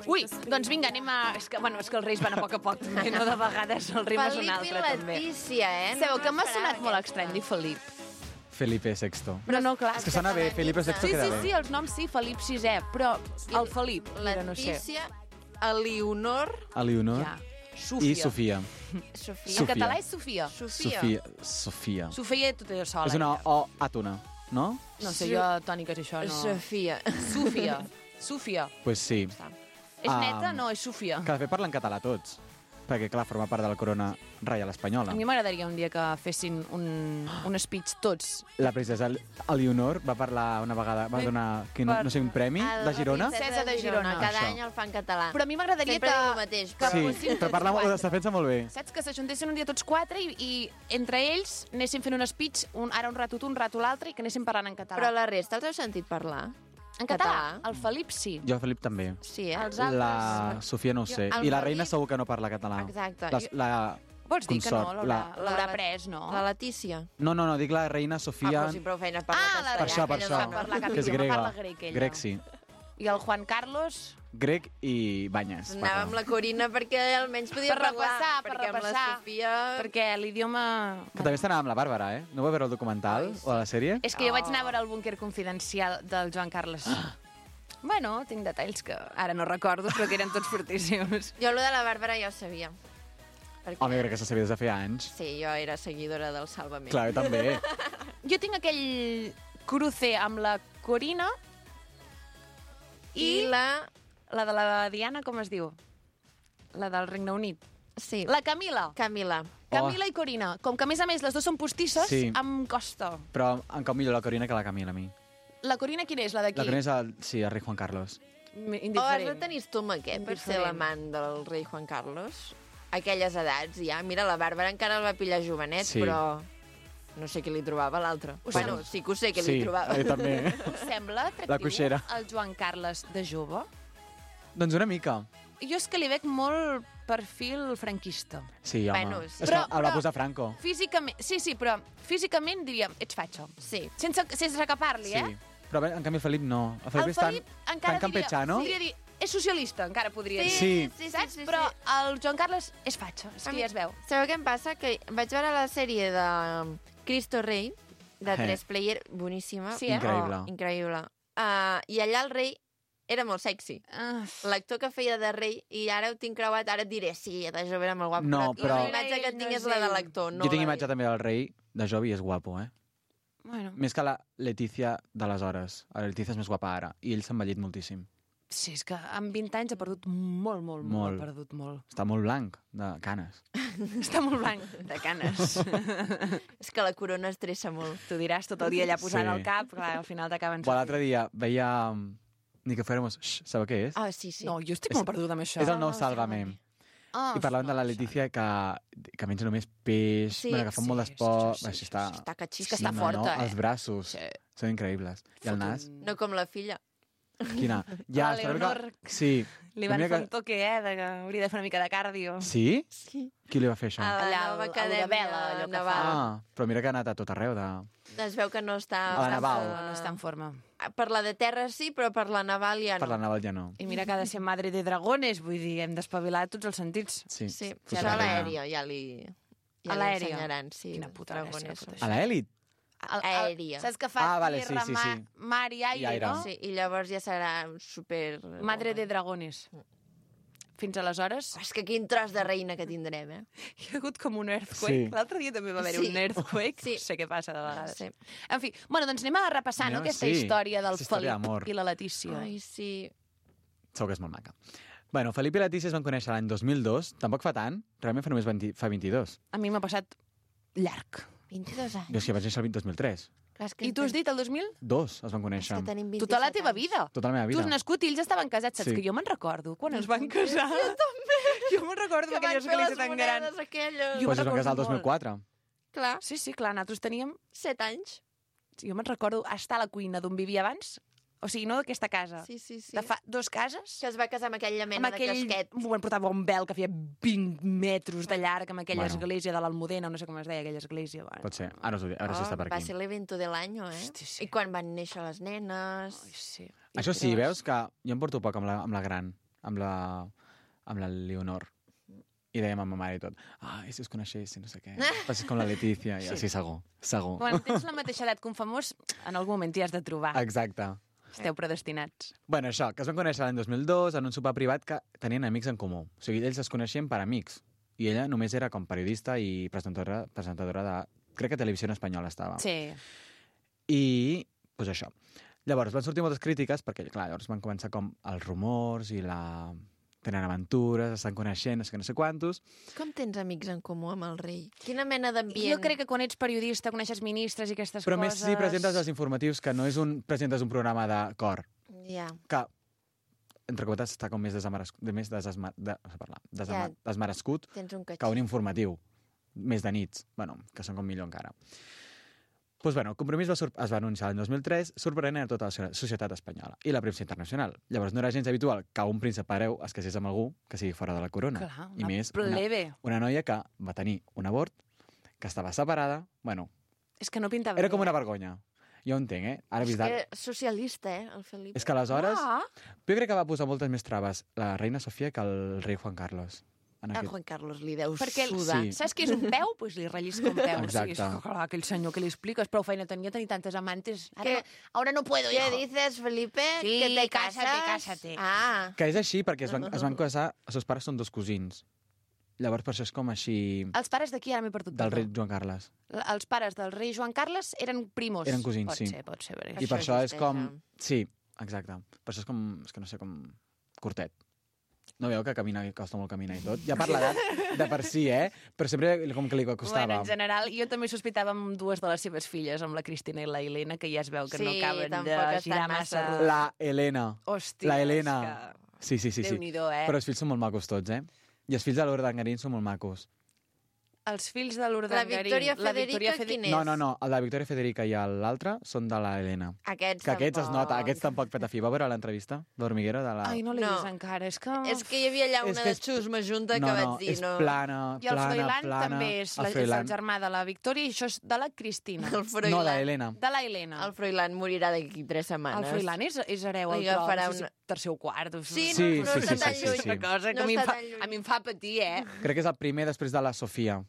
Ui, doncs vinga, anem a... És que, bueno, és que els reis van a poc a poc, també, no de vegades el ritme és un Felip altre, i també. Letícia, eh? Sabeu que m'ha m'esperava sonat molt aquesta. estrany dir Felip. Felipe sexto. Però no, clar. És que sona bé, Felipe sexto Sí, queda sí, bé. sí, els noms sí, Felip sisè, però el Felip, mira, no sé. Letícia, Eleonor, Eleonor Ja. Sofia. i Sofia. Sofia. En Sofia. català és Sofia. Sofia. Sofia. Sofia. Sofia tot allò sola. És una ella. O àtona, no? No sé, jo tòniques això no... Sofia. Sofia. Sofia. Pues sí. És Ah, neta? No, és Sofia. Que de fet parlen català tots. Perquè, clar, forma part de la corona reial espanyola. A mi m'agradaria un dia que fessin un, un speech tots. La princesa Eleonor va parlar una vegada, va Sí. donar, que no, no sé, un premi El de Girona. Princesa de Girona. Cada Això. any el fa en català. Però a mi m'agradaria Sempre que... diu el mateix. que Sí, fossin però tots parla, quatre. es defensa molt bé. Saps? Que s'ajuntessin un dia tots quatre i, i entre ells anessin fent un speech, un, ara un rato tu, un rato l'altre, i que anessin parlant en català. Però la resta els heu sentit parlar? En català? El Felip sí. Jo, Felip, també. Sí, eh? Els altres... La Sofia no ho sé. El I la Felip- reina segur que no parla català. Exacte. La, la Vols dir que no? consort, L'haurà la- l'haurà la- pres, no? La Letícia. No, no, no, dic la reina Ah, Sofia... però sí, prou feina per Ah, la per això, per ella això. no sap parlar cap que és idioma, grega. parla grec, ella. Grec, sí. I el Juan Carlos... Grec i banyes. Anava amb la Corina perquè almenys podia Per parlar. repassar, per perquè repassar. amb la Sofia... Perquè l'idioma... Que també està amb la Bàrbara, eh? No vau veure el documental Ai, sí. o la sèrie? És que jo vaig anar a veure el búnquer confidencial del Joan Carles. Bueno, tinc detalls que ara no recordo, però que eren tots fortíssims. Jo, lo de la Bàrbara ja ho sabia. Perquè... Home, crec que se sabia des de fer anys. Sí, jo era seguidora del Sálvame. Clar, jo també. Jo tinc aquell cruce amb la Corina i, I la... la de la Diana, com es diu? La del Regne Unit. Sí, La Camila. Camila. Camila i Corina. Com que, a més a més, les dues són postisses, Sí. em costa. Però em cau millor la Corina que la Camila, a mi. La Corina quina és? La d'aquí? La Corina és el, sí, el rei Juan Carlos. Oh, has de Indiferent. tenir estomaquet per ser Indiferent. l'amant del rei Juan Carlos? A aquelles edats, ja. Mira, la Bàrbara encara el va pillar jovenet, Sí. però no sé què li trobava l'altre. Us Bueno, sembla? sí que ho sé què sí, li trobava. jo també. Us sembla La atractiu coixera. el Joan Carles de jove? Doncs una mica. Jo és que li veig molt perfil franquista. Sí, home. Bueno, sí. És Però- que el va però- posar Franco. Físicament, sí, sí, però físicament diríem, ets fatxo. Sí. Sense, sense que parli, Sí. eh? Però en canvi el Felip no. El Felip El és tan, Felip encara tan campechano. diria, podria dir, és socialista, encara podria dir. Sí. sí, sí, Saps? sí, sí. Però el Joan Carles és fatxa, és A que mi- ja es veu. Sabeu què em passa? Que vaig veure la sèrie de um, Cristo Rei, de Eh. tres player, boníssima. Sí, eh? Increïble. Oh, increïble. Uh, I allà el rei era molt sexy. Uh, L'actor que feia de rei, i ara ho tinc creuat, ara et diré, sí, de jove era molt guapo. No, però- La imatge que No tinc és és la de ell. l'actor, no jo tinc la imatge d'ell. també del rei de jove i és guapo, eh? bueno, Més que la Letícia d'aleshores. La Letícia és més guapa ara. I ell s'ha envellit moltíssim. sí, és que amb vint anys ha perdut molt, molt, molt, Molt. ha perdut molt. Està molt blanc, de canes. Està molt blanc de canes. És que la corona estressa molt. T'ho diràs tot el dia allà posant Sí. el cap, clar, al final t'acaben... Però l'altre dia veia... Ni que fuéramos... Shh, sabeu què és? Ah, sí, sí. No, jo estic molt perduda amb això. És el nou Sálvame. Ah, I parlàvem de la Letícia que, que menja només peix, Sí, bueno, que fa sí, molt sí, d'esport... sí, sí, Això està... Està catxís. És que està no, forta, no, eh? Els braços Sí. són increïbles. I el nas? No com la filla. Quina? Ja, La esperem Leonor. Que... Sí. Li La van meva fer que- un toque, eh, de que hauria de fer una mica de cardio. Sí? Sí. Qui li va fer això? A la Allà, nova al- a acadèmia Udabela, allò que naval. Ah, però mira que ha anat a tot arreu de... Es veu que no està... A la naval. No està en forma. Per la de terra sí, però per la naval ja no. Per la naval ja no. I mira que ha de ser madre de dragones, vull dir, hem d'espavilar tots els sentits. Sí, Sí, Fos això la a reina. l'aèria ja li... Ja A li l'aèria? ensenyaran, sí. Quina puta gràcia, dragones. tot A l'elit? Aèria. Saps que fa Ah, vale, sí, tierra, sí, ma- sí. mar i aire, I aire. no? Sí, i llavors ja serà super... Madre de dragones. Fins aleshores, És que quin tros de reina que tindrem, eh? hi ha hagut com un earthquake. Sí. L'altre dia també va haver Sí. un earthquake. Sí. No sé què passa de vegades. Sí. En fi, bueno, doncs anem a repassar no, Anem- aquesta sí, història del aquesta història Felip d'amor. i la Letícia. Ai, sí. Segur que és molt maca. Bueno, Felip i Letícia es van conèixer l'any dos mil dos, tampoc fa tant, realment fa només vint, fa vint-i-dos. A mi m'ha passat llarg. vint-i-dos anys. Jo és que vaig néixer el dos mil tres. Clar, és que I tu has dit el dos mil? Dos es van És conèixer. que tenim vint-i-set Tota la teva anys. vida. Tota la meva Tu vida. has nascut i ells estaven casats, saps Sí. que jo me'n recordo quan es van casar. Jo també. Jo me'n recordo Que aquella van fer església les tan gran. monedes aquelles. Jo Pues es me'n van casar el recordo dos mil molt. quatre. Clar, Sí, sí, clar, nosaltres teníem... set anys. Jo me'n recordo estar a la cuina d'on vivia abans, o sigui, no d'aquesta casa, Sí, sí, sí. de fa dos cases, Que es va casar amb aquella mena amb aquell... de casquet. Bueno, portava un vel que feia vint metres de llarg, amb aquella Bueno. església de l'Almudena, o no sé com es deia aquella església. Bueno. Pot ser. Ara, us ho dic, ara sí està per Oh, va aquí. ser l'evento de l'any, eh? Hosti, sí. I quan van néixer les nenes... Ai, sí. Això sí, veus que jo em porto poc amb la, amb la gran, amb la, amb la Leonor. I dèiem a ma mare i tot, ai, si us coneixessin, no sé què. Passis com la Letícia, i sí, segur, segur. Quan tens la mateixa edat que un famós, en algun moment t'hi has de trobar. Exacte. Esteu predestinats. Bueno, això, que es van conèixer l'any dos mil dos en un sopar privat que tenien amics en comú. O sigui, ells es coneixien per amics. I ella només era com periodista i presentadora, presentadora de... Crec que Televisió Espanyola estava. Sí. I, doncs això. Llavors, van sortir moltes crítiques, perquè, clar, llavors van començar com els rumors i la... tenen aventures, estan coneixent, no sé què, no sé quantos. Com tens amics en comú amb el rei? Quina mena d'ambient? Jo crec que quan ets periodista coneixes ministres i aquestes Però coses... més si presentes els informatius, que no és un... presentes un programa de cor, Ja. que, entre cometes, està com més, desameres... de més desesma... de... no sé parlar, desama... Ja. desmerescut Tens un que catxí. un informatiu, més de nits, bueno, que són com millor encara. Doncs, pues, bueno, el compromís va sur... es va anunciar l'any dos mil tres, sorprenent a tota la societat espanyola i la premsa internacional. Llavors, no era gens habitual que un príncep hereu es casés amb algú que sigui fora de la corona. Clar, I una més, plebe. Una, una noia que va tenir un abort, que estava separada, bueno, És que no pintava era bé. com una vergonya. Jo ho entenc, eh? Ara És vist que socialista, eh, el Felip. És que aleshores... Ah, Jo crec que va posar moltes més traves la reina Sofia que el rei Juan Carlos. En A aquest... Juan Carlos li deu perquè sudar. Sí. saps què és un peu? Doncs pues li rellisca un peu. Exacte. O sigui, és que, clar, aquell senyor que li expliques, prou feina tenia tenir tantes amantes. Ara, Que- no, ahora no puedo, ¿Qué hijo. dices, Felipe? Sí, que te cásate, casas? cásate. Ah, Que és així perquè es van, es van casar... Els seus pares són dos cosins. Llavors, per això és com així... Els pares d'aquí, ara m'he perdut. Del perdó. rei Joan Carles. L- Els pares del rei Joan Carles eren primos. Eren cosins, pot sí. Ser, pot ser, I perquè... per Això això és existeix, com... eh? Sí, exacte. Per això és com... És que no sé, com... curtet. No veieu que camina, costa molt caminar i tot? Ja per l'edat de per si, eh? Però sempre com que li costava. Bueno, en general, jo també sospitava amb dues de les seves filles, amb la Cristina i la Helena, que ja es veu que Sí, no acaben de tampoc estan girar massa- massa. rodó. La Helena. Hòstia, La Helena. és que... Sí, sí, sí. sí. Déu-n'hi-do, eh? Però els fills són molt macos tots, eh? I els fills de l'Urdangarín són molt macos. Els fills de l'Urdangarín. La Victòria Federica, Fede- quin és? No, no, no. El de Victòria Federica i l'altre són de la Helena. aquests Que aquests es tampoc. nota, aquests tampoc petafi. Va veure l'entrevista d'Hormiguero de la... Ai, no l'he No. vist encara, és que... És que hi havia allà És una que de és- xusma junta no, que no, vaig dir, és no... plana, I el plana, Froilán plana. també és, El la, és el Froilán. germà de la Victòria i això és de la Cristina. El Froilán. No, de Helena. De la Helena. El Froilán morirà d'aquí tres setmanes. El Froilán és, és hereu al Li tron, agafarà no sé si una- tercer o quart. O Sí, Sí, no, no sí, està sí, tan sí, sí, lluny. sí. Una cosa que No a, mi em està fa, tan lluny. a mi em fa patir, eh? Crec que és el primer després de la Sofia.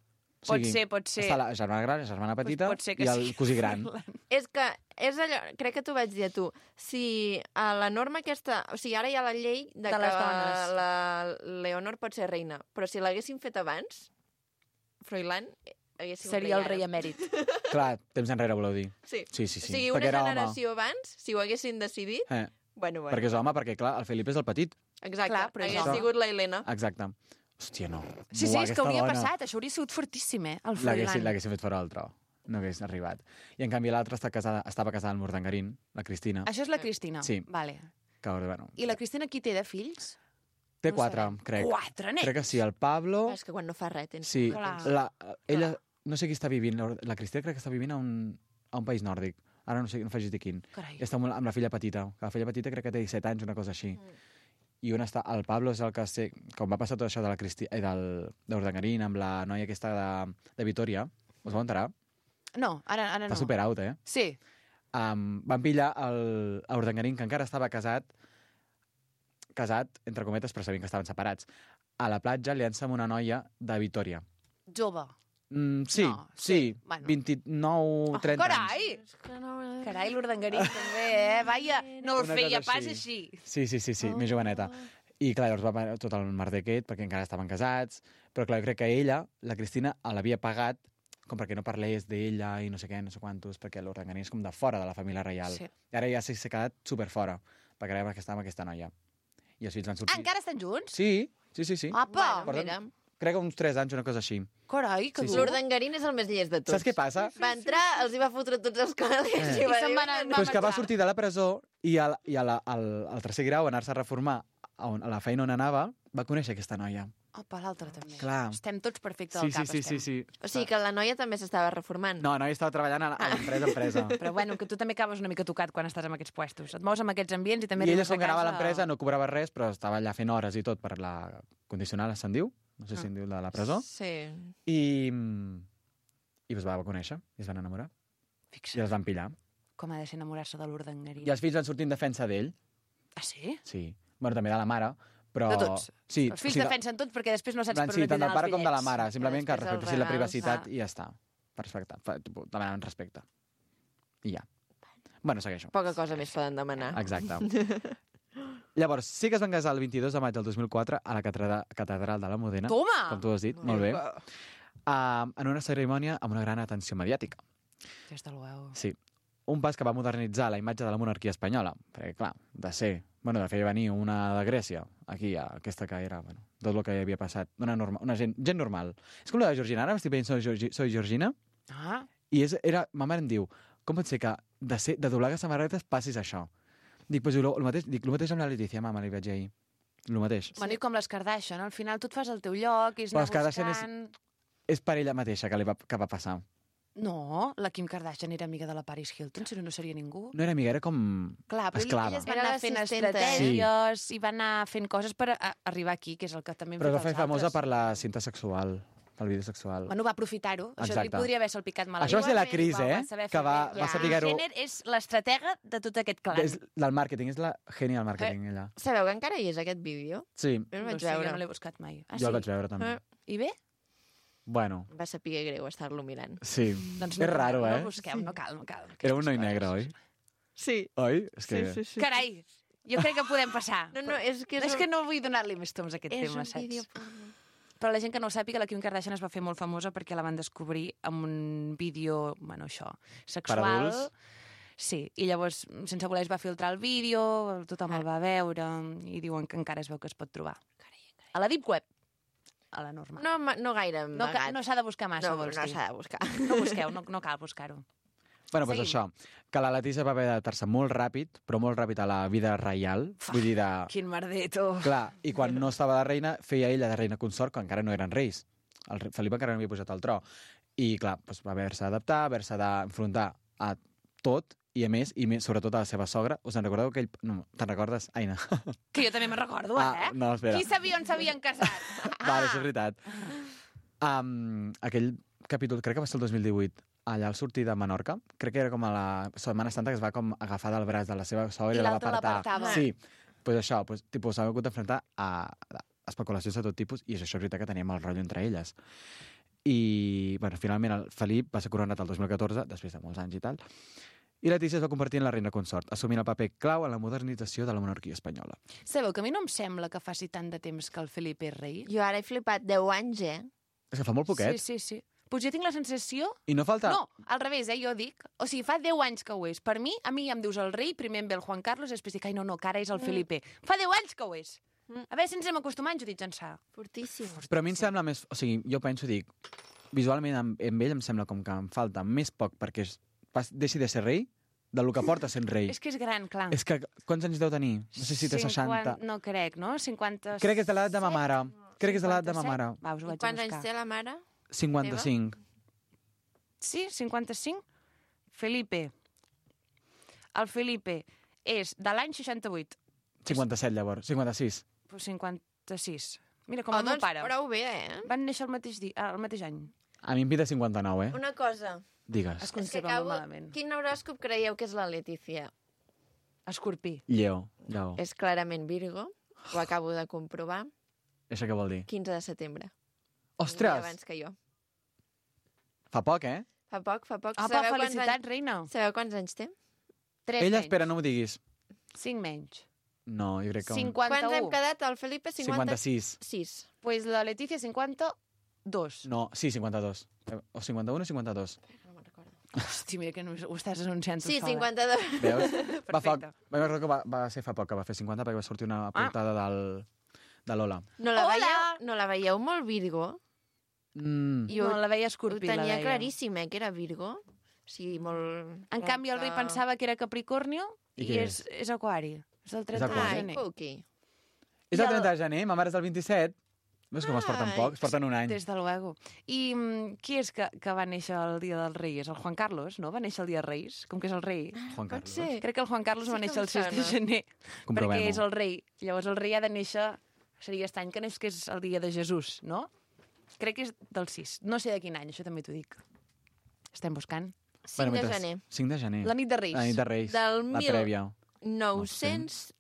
O Pot ser, pot ser. Està la germana gran, la germana petita pot ser que i el sí. cosí gran. És que, és allò, crec que t'ho vaig dir a tu, si a la norma aquesta... O sigui, ara hi ha la llei de, De que les dones. la Leonor pot ser reina, però si l'haguessin fet abans, Froilán hagués sigut Seria el ara. rei emèrit. Clar, temps enrere voleu dir. Sí. Sí, sí, sí. O sigui, Perquè una era home. generació abans, si ho haguessin decidit, Eh, bueno, bueno. perquè és home, perquè clar, el Felip és el petit. Exacte, Clar, però és hagués home. sigut la Helena. Exacte. Hòstia, no. Sí, sí, Buah, és que aquesta hauria dona. passat. Això hauria sigut fortíssim, eh? El L'haguessin Froilán. l'haguessin fet fora del tro. No hagués arribat. I en canvi l'altra està casada, estava casada amb l'Urdangarín, la Cristina. Això és la Cristina? Sí. Vale. Que, bueno, I la Cristina qui té de fills? té no quatre, sabem. crec. Quatre nens? Crec que sí, el Pablo... És que quan no fa res tens... Sí, Clar. la, ella, no sé qui està vivint, la, la Cristina crec que està vivint a un, a un país nòrdic. Ara no sé, no facis dir quin. Carai. Està amb, amb la filla petita, que la filla petita crec que té disset anys, una cosa així. Mm. I on està, el Pablo és el que sé, com va passar tot això de la Cristi, eh, del, d'Urdangarín amb la noia aquesta de, de Vitoria, us vau enterar? No, ara, ara no. Està super out, eh? Sí. Um, van pillar el, a Urdangarín, que encara estava casat, casat, entre cometes, però sabien que estaven separats, a la platja liant-se amb una noia de Vitoria. Jove. Mm, sí, No, sí, sí, bueno. vint-i-nou, trenta anys. Carai! Carai, l'Urdangarín també, eh? Vaja, no el Una feia cosa pas així. així. Sí, sí, sí, sí, més joveneta. I clar, llavors va haver tot el merder aquest, perquè encara estaven casats, però clar, jo crec que ella, la Cristina, l'havia pagat com perquè no parlés d'ella i no sé què, no sé quantos, perquè l'Urdangarín és com de fora de la família reial. Sí. I ara ja s'ha quedat super fora, perquè ara estava amb aquesta noia. I els fills van sortir... Ah, encara estan junts? Sí, sí, sí, sí. Apa! Bueno, mira. Crec que uns tres anys, una cosa així. Carai, que Sí, sí. dur. L'Urdangarín és el més llest de tots. Saps què passa? Va entrar, els hi va fotre tots els calés Eh. i va I se'n dir... va anar- "No, Però és que va marxar. sortir de la presó i, al, i a la, al, al tercer grau, anar-se a reformar a, on, a la feina on anava, va conèixer aquesta noia. Apa, l'altre també. Clar. Estem tots perfectes Sí, al sí, cap, sí, sí, estem. sí. O sigui que la noia també s'estava reformant. No, no, ella estava treballant a, a l'empresa, empresa. Però bueno, que tu també acabes una mica tocat quan estàs en aquests puestos. Et mous en aquests ambients i també I ella arribes a s'ho ganava a casa- l'empresa, no cobrava res, però estava allà fent hores i tot per la condicional, se'n diu? No sé si en diu de la presó. Sí. I, i es va conèixer, i es van enamorar. I Fixa't, els van pillar. com ha de ser enamorar-se de l'Urdangarín. I els fills van sortir en defensa d'ell, Ah, sí? sí. Bueno, també de la mare, però... De tots. Sí, Els fills o sigui, defensen tot perquè després no saps plan, per sí, on et tant del diran pare els com de la bitllets. mare, simplement que després els respectessin la regals, privacitat va. i ja està. Per respectar, fa- tipus, demanen respecte. I ja. Bueno, segueixo. Poca cosa més poden demanar. Exacte. Llavors, sí que es van casar el vint-i-dos de maig del dos mil quatre a la catedral, catedral de la Modena. Toma! Com tu has dit, molt bé. Uh, en una cerimònia amb una gran atenció mediàtica. Des de l'ueu. Sí. Un pas que va modernitzar la imatge de la monarquia espanyola. Perquè, clar, de ser... Bueno, de fer venir una de Grècia, aquí, a aquesta que era, bueno, tot el que havia passat. Una, norma, una gent, gent normal. És com la de Georgina. Ara m'estic veient Soy, Georgi, Soy Georgina, Ah, i és, era, ma mare em diu, com pot ser que de, ser, de doblar les samarretes passis això? Dic, pues, el, el, mateix, dic, el mateix amb la Letícia, mama, li vaig dir ahir. El mateix. bueno, i com les Kardashian, al final tu et fas el teu lloc i és Però anar les Kardashian és- buscant... És per ella mateixa que, li va, que va passar. No, la Kim Kardashian era amiga de la Paris Hilton, si no, no seria ningú. No era amiga, era com Clar, però esclava. elles van Era anar fent l'assistenta. estratègies i van anar fent coses per a, a arribar aquí, que és el que també hem Però es fet va fer els famosa altres. per la cinta sexual, pel vídeo sexual. Bueno, va aprofitar-ho. Això li Exacte. podria haver salpicat malament. Això va ser la Igualment, Cris, va- eh? va saber Que fer va, bé. va saber-ho... Jenner és l'estratega de tot aquest clan. És del màrqueting, és la gènia del màrqueting, ella. Sabeu que encara hi és aquest vídeo? Sí, Jo el no vaig sé, jo veure. no l'he buscat mai. Ah, jo sí? el vaig veure també. Eh. I bé? Bueno, Va saber greu estar-lo mirant. sí. Doncs és raro, no, eh? No busqueu, no cal, no cal. Era un Aquestes noi coses. negre, oi? Sí. Oi? És que... Sí, sí, sí. Carai, jo crec que podem passar. No, no, és que és, És que no vull donar-li més toms a aquest és tema, un saps? vídeo porno. Però la gent que no ho sàpiga, la Kim Kardashian es va fer molt famosa perquè la van descobrir amb un vídeo, bueno, això, sexual. Per adults? Sí, i llavors, sense voler, es va filtrar el vídeo, tothom el va veure, i diuen que encara es veu que es pot trobar. A la Deep Web, a la normal. No, ma- no gaire No, ca- amagat. no s'ha de buscar massa, no, vols no dir. s'ha de buscar. No busqueu, no, no cal buscar-ho. Bueno, doncs Seguim. això, que la Letícia va haver d'adaptar-se molt ràpid, però molt ràpid a la vida reial, vull dir de... Quin merdeto. Clar, i quan no estava de reina, feia ella de reina consort, quan encara no eren reis. El rei Felip encara no havia posat al tro. I, clar, doncs va haver-se d'adaptar, haver-se d'enfrontar a tot, i a més, i més, sobretot a la seva sogra. Us en recordeu aquell... No, te'n recordes, Aina? Que jo també me'n recordo, Ah, eh? no, espera. Qui sabia on s'havien casat? Vale, això és veritat. Um, aquell capítol, crec que va ser el dos mil divuit, allà al sortir de Menorca, crec que era com a la Setmana Santa, que es va com agafar del braç de la seva sogra I i, la va l'altre apartar. l'apartava. Sí, pues això, pues, tipus, s'ha hagut d'enfrontar a, a especulacions de tot tipus, i això és veritat que teníem el rotllo entre elles. I, bueno, finalment el Felip va ser coronat el dos mil catorze, després de molts anys i tal, i Letícia es va convertir en la reina consort, assumint el paper clau en la modernització de la monarquia espanyola. Sabeu que a mi no em sembla que faci tant de temps que el Felip és rei? Jo ara he flipat deu anys, eh? És que fa molt poquet, Sí, sí, sí. Pues jo tinc la sensació... i no falta... No, al revés, eh, jo dic... O sigui, fa deu anys que ho és. Per mi, a mi em dius el rei, primer em ve el Juan Carlos, i després dic, ai, no, no, que ara és el Felipe. Fa deu anys que ho és. A veure si ens hem acostumat, Judit Jansà. Fortíssim. Però a mi em sembla més... O sigui, jo penso, dic, visualment amb, amb ell em sembla com que em falta més poc perquè es, pas, deixi de ser rei del que porta sent rei. És que és gran, clar. És que quants anys deu tenir? No sé si té seixanta. No crec, no? cinquanta... Crec que és de l'edat de ma mare. Crec que és de l'edat de ma mare. Va, us ho I vaig a quants anys buscar. té la mare? cinquanta-cinc. Sí, cinquanta-cinc? Felipe. El Felipe és de l'any seixanta-vuit. cinquanta-set, llavors. cinquanta-sis. Pues cinquanta-sis. Mira, com Oh, el meu doncs pare. prou bé, eh? Van néixer el mateix, dia, el mateix any. A mi em pide cinquanta-nou, eh? Una cosa. Digues. Es És que conserva acabo... molt malament. Quin horòscop creieu que és la Letícia? Escorpí. Lleó. Lleó. És clarament Virgo. Ho acabo de comprovar. Això què vol dir? quinze de setembre. Un dia Ostres! abans que jo. Fa poc, eh? Fa poc, fa poc. Apa, Sabeu quants felicitats, anys... reina. Sabeu quants anys té? Tres Ella, menys. espera, no m'ho diguis. Cinc menys. No, jo crec que... Un... Quants hem cinquanta-u. quedat? El Felipe, cinquanta... cinquanta-sis. sis. Pues la Letícia, cinquanta-dos. No, sí, cinquanta-dos. Eh, O cinquanta-un o cinquanta-dos. No me'n recordo. Hosti, mira que no ho estàs anunciant tu Sí, sola. cinquanta-dos. Veus? Va, fa... Perfecte. va, recordo que va, va ser fa poc que va fer cinquanta perquè va sortir una portada del... de l'Ola. No la, Hola! veieu, no la veieu molt Virgo? Mm. Jo No, la veia ho escorpí, la tenia veia. claríssim, eh, que era Virgo. Sí, molt... En canvi, el rei recte. pensava que era Capricornio I i, què és, és Aquari. És el trenta de Aquari. Ai, gener. Puqui. És el trenta de gener, ma mare és el vint-i-set. Veus com es porten Ai. poc? Es porten un any. Des de luego. I mm, qui és que, que va néixer el dia del rei? És el Juan Carlos, no? Va néixer el dia dels Reis, com que és el rei. Juan Pot Carlos. ser. Crec que el Juan Carlos Sí va que néixer em el sis de sona. gener, Comprovem-ho. perquè és el rei. Llavors el rei ha de néixer, seria estany, que no és que és el dia de Jesús, no? Crec que és del sis. No sé de quin any, això també t'ho dic. Estem buscant. cinc de mentre- gener. cinc de gener. La nit de Reis. La nit de Reis. Del La mil- prèvia. nou-cents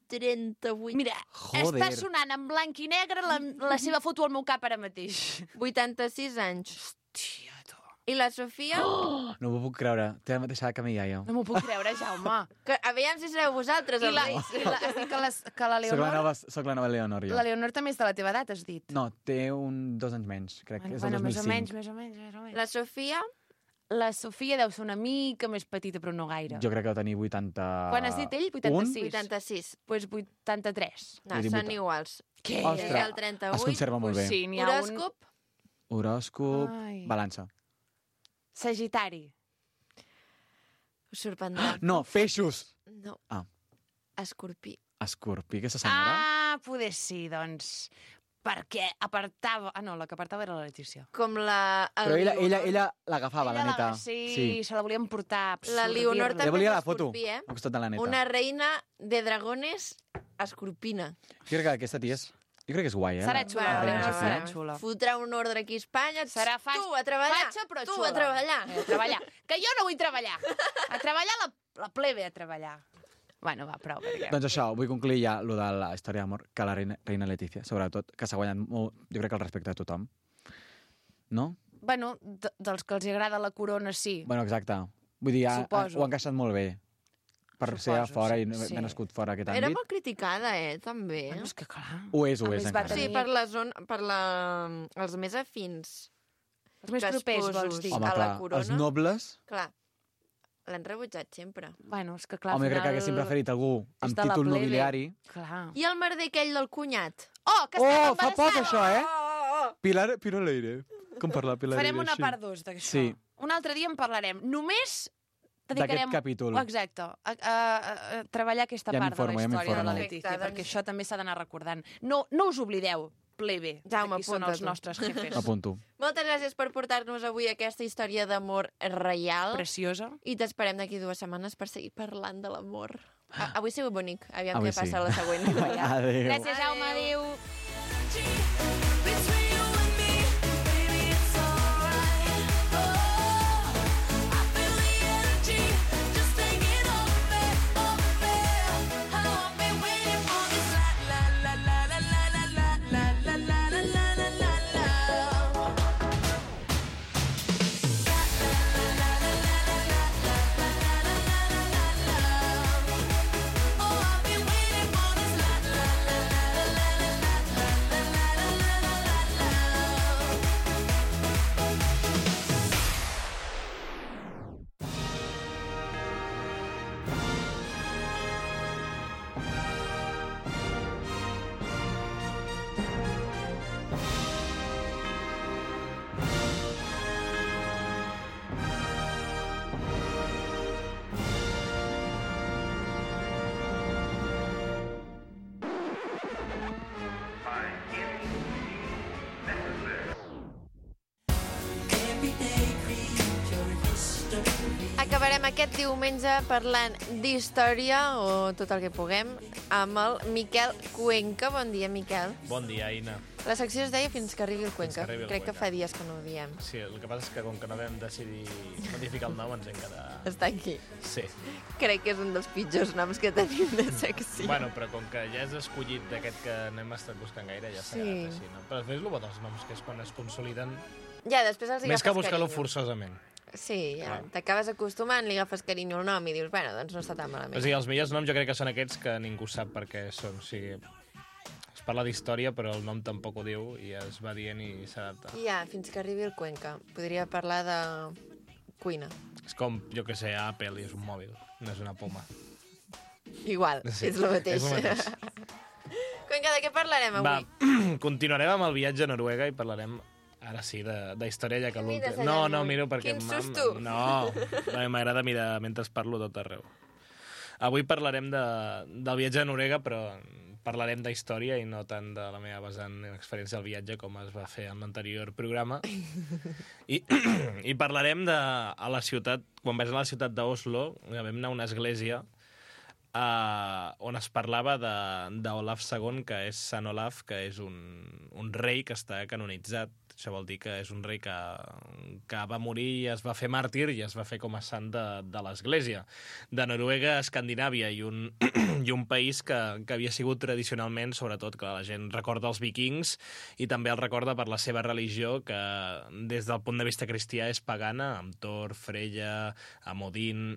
trenta-vuit. Mira, Joder. està sonant en blanc i negre la, la seva foto al meu cap ara mateix. vuitanta-sis anys. Hòstia, tu. I la Sofia? Oh, no m'ho puc creure. Té la mateixa edat que mi iaia. No m'ho puc creure, Jaume. Que, aviam si sereu vosaltres, I els la, reis. i la, has dit que, les, que la Soc la, Leonor... nova, soc la nova Leonor, jo. La Leonor també és de la teva edat, has dit. No, té un dos anys menys, crec que Bueno, és el bueno, dos mil més o cinc. menys, més o menys, més o menys. La Sofia? La Sofia deu ser una mica més petita, però no gaire. Jo crec que va tenir vuitanta... Quan has dit ell? vuitanta-sis. vuitanta-sis. Doncs pues vuitanta-tres. No, Vull dir, són vuita- iguals. Què? Ostres, És el trenta-vuit. es conserva molt bé. Pues sí, n'hi ha un... Horòscop? Horòscop, Ai. balança. Sagitari. Us sorprendrà. No, peixos! No. Ah. Escorpí. Escorpí, aquesta senyora. Ah, poder sí, doncs. Perquè apartava... Ah, no, la que apartava era la Letícia. Com la... el Però ella, ella, Leonor. ella l'agafava, la Ella neta. Sí, sí, se la volien portar. La Leonor absorbir-la. també Ella volia és la foto escorpí, eh? al costat de la neta. Una reina de dragones escorpina. Jo crec que aquesta tia és... Jo crec que és guai, eh? Serà la- xula, la la reina Leonor Sofia. serà xula. Fotrà un ordre aquí a Espanya. Serà fa... Tu, a treballar. Fatxa, però tu, xula. a treballar. Eh, a treballar. Que jo no vull treballar. A treballar la, la plebe, a treballar. Bueno, va, prou. Perquè... Doncs això, vull concluir ja lo de la història d'amor que la reina, reina Letícia, sobretot, que s'ha guanyat molt, jo crec que el respecte de tothom. No? Bueno, de, dels que els agrada la corona, sí. Bueno, exacte. Vull dir, ha, ha, Suposo. ho ha encaixat molt bé. Per Suposo, ser a fora sí, i sí. haver nascut fora aquest Era àmbit. molt criticada, eh, també. Bueno, és que clar... Ho és, ho A és més, va encara. tenir- Sí, per, la zona, per la, els més afins. Els més que propers, esposos. vols dir. Home, Home, a la clar, corona. els nobles... Clar, l'han rebutjat sempre. Bueno, és que clar, Home, al jo crec que final haguessin preferit algú és amb de la títol plebe. nobiliari. Clar. I el merder aquell del cunyat? Oh, que Oh, estava fa poc embarassada! això, eh? Oh, oh, oh. Pilar, Pilar Leire. Com parlar Pilar Farem Leire una així? part dos d'això. Sí. Un altre dia en parlarem. Només dedicarem... D'aquest capítol. Oh, exacte. A, a, a, a treballar aquesta Ja part m'informo, de ja la història de la m'informo. Letícia, Perfecte, perquè doncs- això també s'ha d'anar recordant. No, no us oblideu, plebe, Jaume, qui són els apunta-t'ho. nostres jefes. Apunto. Moltes gràcies per portar-nos avui aquesta història d'amor reial. Preciosa. I t'esperem d'aquí dues setmanes per seguir parlant de l'amor. A- Avui sigut bonic. Aviam Avui què passa sí. a la següent. Adéu. Gràcies, Jaume. Adéu. Between you and me, baby, it's alright. Oh, I feel the energy, just take it off me, off me. How I've been waiting for this la la la la la la la la la la la la la la la. La la la la la la la la la la la la la la. Oh, I've been waiting for this la la la la la la la la. Comencem aquest diumenge parlant d'història, o tot el que puguem, amb el Miquel Cuenca. Bon dia, Miquel. Bon dia, Aina. La secció es deia Fins que arribi el Cuenca. Fins que arribi el Crec que Cuenca. fa dies que no ho diem. Sí, el que passa és que com que no vam decidir modificar el nom ens hem quedat... Està aquí. Sí. Crec que és un dels pitjors noms que tenim de secció. Bueno, però com que ja és escollit d'aquest que no hem estat buscant gaire, ja s'ha Sí. quedat així, no? Però després el bo dels noms, que és quan es consoliden, Ja, després els hi més que agafes buscar-lo carinyo. forçosament. Sí, ja. Clar. T'acabes acostumant, li agafes carinyo al nom i dius, bueno, doncs no està tan malament. O sigui, els millors noms jo crec que són aquests que ningú sap per què són. O sigui, es parla d'història, però el nom tampoc ho diu i es va dient i s'adapta. Ja, Fins que arribi el Cuenca. Podria parlar de cuina. És com, jo que sé, Apple i és un mòbil, no és una poma. Igual, Sí, és el mateix. és el mateix. Cuenca, de què parlarem Va, avui? continuarem amb el viatge a Noruega i parlarem, ara sí, de, de història, ja que Què mires l'últim... allà No, al no, mòbil? miro perquè... Quin m'ha- susto! No, no, m'agrada mirar mentre parlo tot arreu. Avui parlarem de, del viatge a Noruega, però parlarem d'història i no tant de la meva vessant experiència del viatge com es va fer en l'anterior programa. I, i parlarem de a la ciutat, quan vaig a la ciutat d'Oslo, vam anar a una església Uh, on es parlava d'Olaf segon, que és Sant Olaf, que és un, un rei que està canonitzat. Això vol dir que és un rei que, que va morir i es va fer màrtir i es va fer com a sant de, de l'Església. De Noruega a Escandinàvia i un, i un país que, que havia sigut tradicionalment, sobretot, que la gent recorda els vikings i també el recorda per la seva religió, que des del punt de vista cristià és pagana, amb Thor, Freya, amb Odin...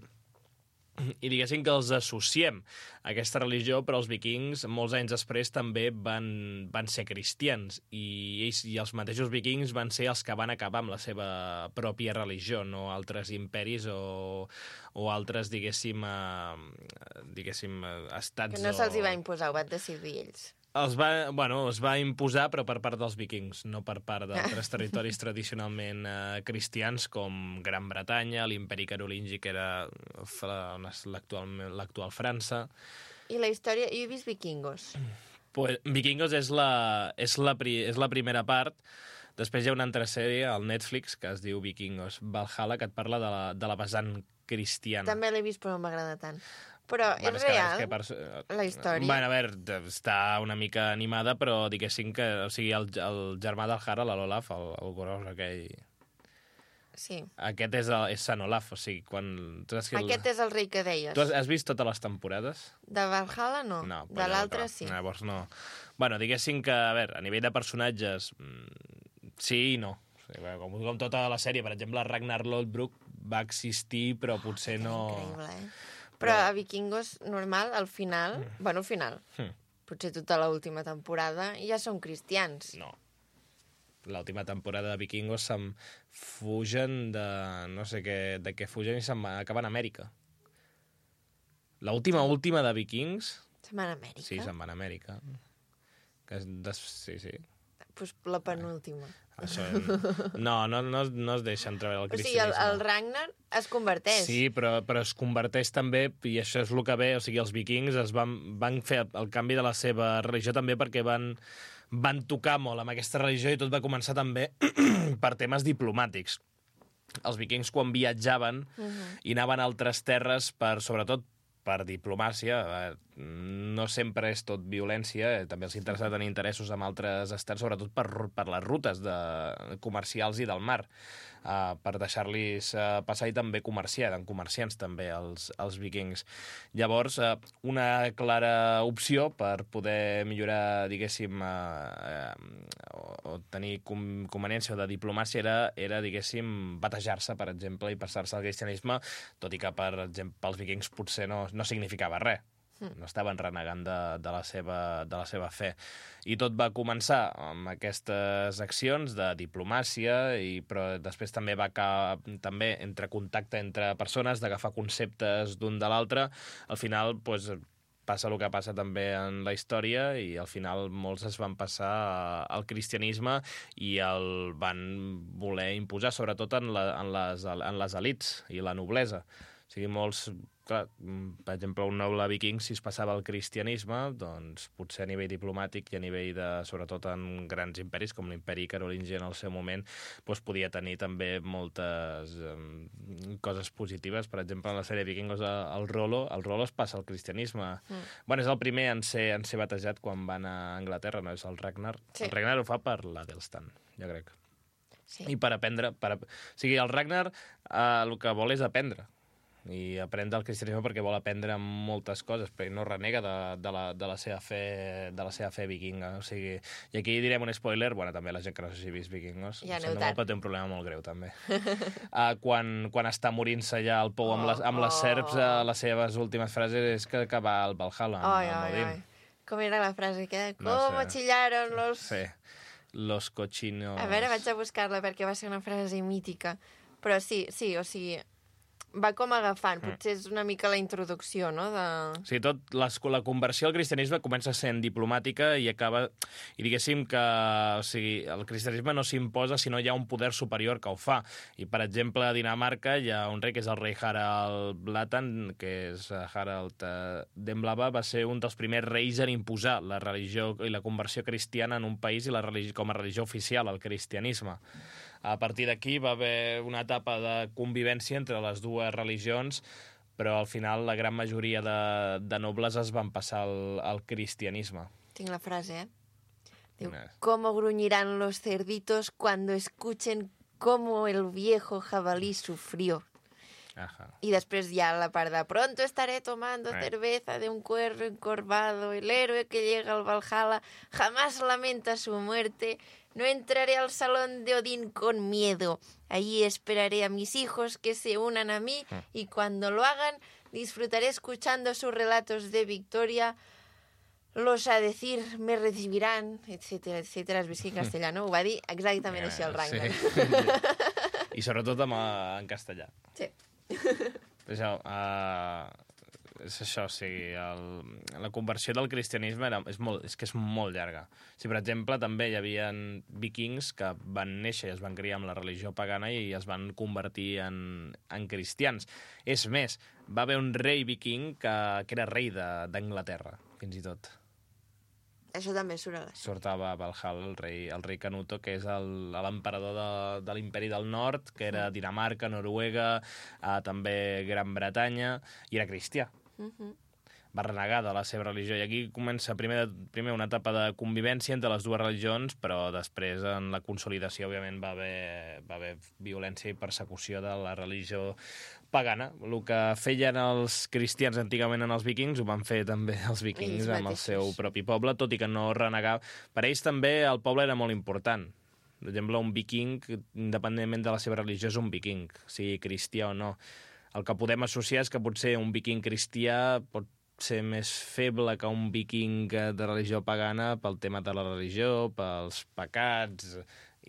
I diguéssim que els associem a aquesta religió, però els vikings, molts anys després, també van, van ser cristians, i ells i els mateixos vikings van ser els que van acabar amb la seva pròpia religió, no altres imperis o, o altres, diguéssim, eh, diguéssim estats... Que no se'ls hi va o... imposar, ho van decidir ells. Els va, bueno, es va imposar, però per part dels vikings, no per part d'altres territoris tradicionalment eh, cristians, com Gran Bretanya, l'imperi carolingi, que era l'actual França. I la història... Jo he vist Vikingos. Pues, Vikingos és la, és, la pri, és la primera part. Després hi ha una altra sèrie al Netflix que es diu Vikingos Valhalla, que et parla de la, de la vessant cristiana. També l'he vist, però no m'agrada tant. Però Bueno, és és que- real, és que per- la història? Bueno, a veure, està una mica animada, però diguéssim que... O sigui, el, el germà del Harald, l'Olaf, el, el gros aquell... Sí. Aquest és, el, és Sant Olaf, o sigui, quan... Tu saps que el- Aquest és el rei que deies. Tu has, has vist totes les temporades? De Valhalla, no. No. De l'altre, llavors, sí. Llavors no. Bueno, diguéssim que, a veure, a nivell de personatges, mm, sí i no. O sigui, bueno, com, com tota la sèrie, per exemple, Ragnar Lodbrok va existir, però potser no... Increïble, eh? Però a Vikingos, normal, al final... Mm. Bueno, al final. Mm. Potser tota l'última temporada ja són cristians. No. L'última temporada de Vikingos se'n fugen de... No sé què, de què fugen i se'n va- acaben a Amèrica. L'última, última de Vikings... Se'n van a Amèrica? Sí, se'n van a Amèrica. Que és des... Sí, sí. Pues la penúltima. Això... No, no, no, no es deixa entreveure el O sigui, el, cristianisme. el Ragnar es converteix. Sí, però, però es converteix també, i això és el que ve, o sigui, els vikings es van, van fer el canvi de la seva religió també perquè van, van tocar molt amb aquesta religió i tot va començar també per temes diplomàtics. Els vikings, quan viatjaven Mhm. i anaven a altres terres, per, sobretot per diplomàcia, eh, no sempre és tot violència, eh, també els interessa tenir interessos amb altres estats, sobretot per, per les rutes de, comercials i del mar, eh, per deixar-los eh, passar i també comerciar, eren comerciants també els, els vikings. Llavors, eh, una clara opció per poder millorar, diguéssim, eh, eh, o, o tenir com, conveniència o de diplomàcia era, era diguéssim, batejar-se, per exemple, i passar-se al cristianisme, tot i que, per exemple, pels vikings potser no, no significava res. No estaven renegant de, de, la seva, de la seva fe. I tot va començar amb aquestes accions de diplomàcia, i, però després també va acabar, també entre contacte entre persones, d'agafar conceptes d'un de l'altre. Al final, doncs, passa el que passa també en la història, i al final molts es van passar al cristianisme i el van voler imposar, sobretot en, la, en, les, en les elits i la noblesa. O sigui, molts clar, per exemple, un noble viking, si es passava al cristianisme, doncs potser a nivell diplomàtic i a nivell de, sobretot en grans imperis, com l'imperi carolingi en el seu moment, doncs podia tenir també moltes um, coses positives. Per exemple, en la sèrie Vikingos, el Rollo, el Rollo es passa al cristianisme. Mm. Bueno, és el primer en ser, en ser batejat quan van a Anglaterra, no és el Ragnar. Sí. El Ragnar ho fa per l'Adelstan, jo crec. Sí. I per aprendre... Per... O sigui, el Ragnar eh, el que vol és aprendre. I aprèn del cristianisme perquè vol aprendre moltes coses, però no renega de, de, la, de, la seva fe, de la seva fe vikinga. O sigui, i aquí direm un spoiler, bueno, també la gent que no s'hagi vist Vikingos, ja no molt, però té un problema molt greu, també. uh, quan, quan està morint-se ja el pou amb les, amb les serps, uh, les seves últimes frases és que, que va al Valhalla, amb, ai, amb Odin. Ai, ai. Com era la frase? Que, com no sé. chillaron los... Sí, los cochinos... A veure, vaig a buscar-la perquè va ser una frase mítica. Però sí, sí, o sigui... va com agafant, potser és una mica la introducció, no? De... Sí, tot les, la conversió al cristianisme comença sent diplomàtica i acaba... I diguéssim que o sigui, el cristianisme no s'imposa si no hi ha un poder superior que ho fa. I, per exemple, a Dinamarca hi ha un rei que és el rei Harald Blatan, que és Harald Demblava, va ser un dels primers reis en imposar la religió i la conversió cristiana en un país i la religió, com a religió oficial, el cristianisme. A partir d'aquí va haver una etapa de convivència entre les dues religions, però al final la gran majoria de, de nobles es van passar al, al cristianisme. Tinc la frase, eh? Diu, ¿cómo gruñirán los cerditos cuando escuchen cómo el viejo jabalí sufrió? Ajá. Y después ya la part de pronto estaré tomando eh. cerveza de un cuervo encorvado, el héroe que llega al Valhalla jamás lamenta su muerte. No entraré al salón de Odín con miedo. Allí esperaré a mis hijos que se unan a mí y cuando lo hagan disfrutaré escuchando sus relatos de victoria. Los a decir me recibirán, etcétera, etcétera. Es vist que en castellano ho va dir exactament així el Ragnar. Sí. I sobretot en, en castellà. Sí. Això, uh, és això, o sigui, el, la conversió del cristianisme era, és, molt, és que és molt llarga. O sigui, per exemple, també hi havia vikings que van néixer i es van criar amb la religió pagana i es van convertir en, en cristians. És més, va haver un rei viking que, que era rei d'Anglaterra, fins i tot. Això també surt a la... Sortava Valhalla, el rei, el rei Canuto, que és l'emperador de, de l'imperi del nord, que era Dinamarca, Noruega, eh, també Gran Bretanya, i era cristià. Uh-huh. Va renegar de la seva religió, i aquí comença primer, primer una etapa de convivència entre les dues religions, però després en la consolidació, òbviament, va haver, va haver violència i persecució de la religió pagana. El que feien els cristians antigament en els vikings ho van fer també els vikings ells amb el seu propi poble, tot i que no renegava. Per ells també el poble era molt important. Per exemple, un viking, independentment de la seva religió, és un viking, sigui cristià o no. El que podem associar és que potser un viking cristià pot ser més feble que un viking de religió pagana pel tema de la religió, pels pecats,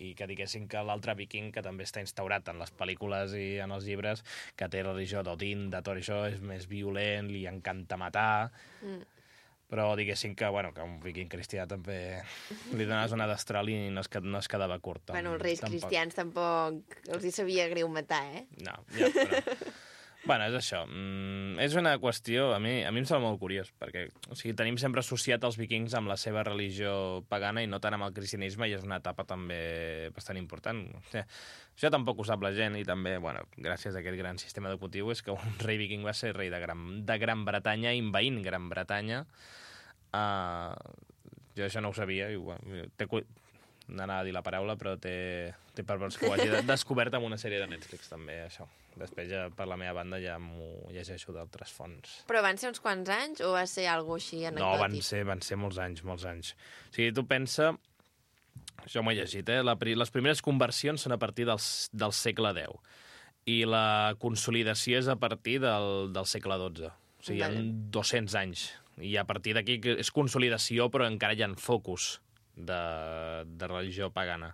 i que diguessin que l'altre viking, que també està instaurat en les pel·lícules i en els llibres, que té la religió d'Odin, de tot això, és més violent, li encanta matar... Mm. Però diguéssim que, bueno, que un viking cristià també li donaves una destral i no es, no es quedava curt. Bueno, els reis tampoc. Cristians tampoc els hi sabia greu matar, eh? No, ja, però... Bueno, és això. Mm, és una qüestió... A mi, a mi em sembla molt curiós, perquè o sigui, tenim sempre associat els vikings amb la seva religió pagana i no tant amb el cristianisme, i és una etapa també bastant important. O sigui, això tampoc ho sap la gent, i també, bueno, gràcies a aquest gran sistema educatiu, és que un rei viking va ser rei de Gran, de Gran Bretanya, invaint Gran Bretanya. Uh, jo això no ho sabia, i bueno, té... anava a dir la paraula, però té, té per veure que ho hagi descobert amb una sèrie de Netflix, també, això. Després, ja, per la meva banda, ja m'ho llegeixo d'altres fonts. Però van ser uns quants anys o va ser alguna cosa així anecdòtic? No, van ser, van ser molts anys, molts anys. O sigui, tu pensa... Això m'ho he llegit, eh? La, les primeres conversions són a partir del, del segle deu i la consolidació és a partir del, del segle dotze. O sigui, vale. Hi ha dos-cents anys. I a partir d'aquí és consolidació, però encara hi ha focus de, de religió pagana.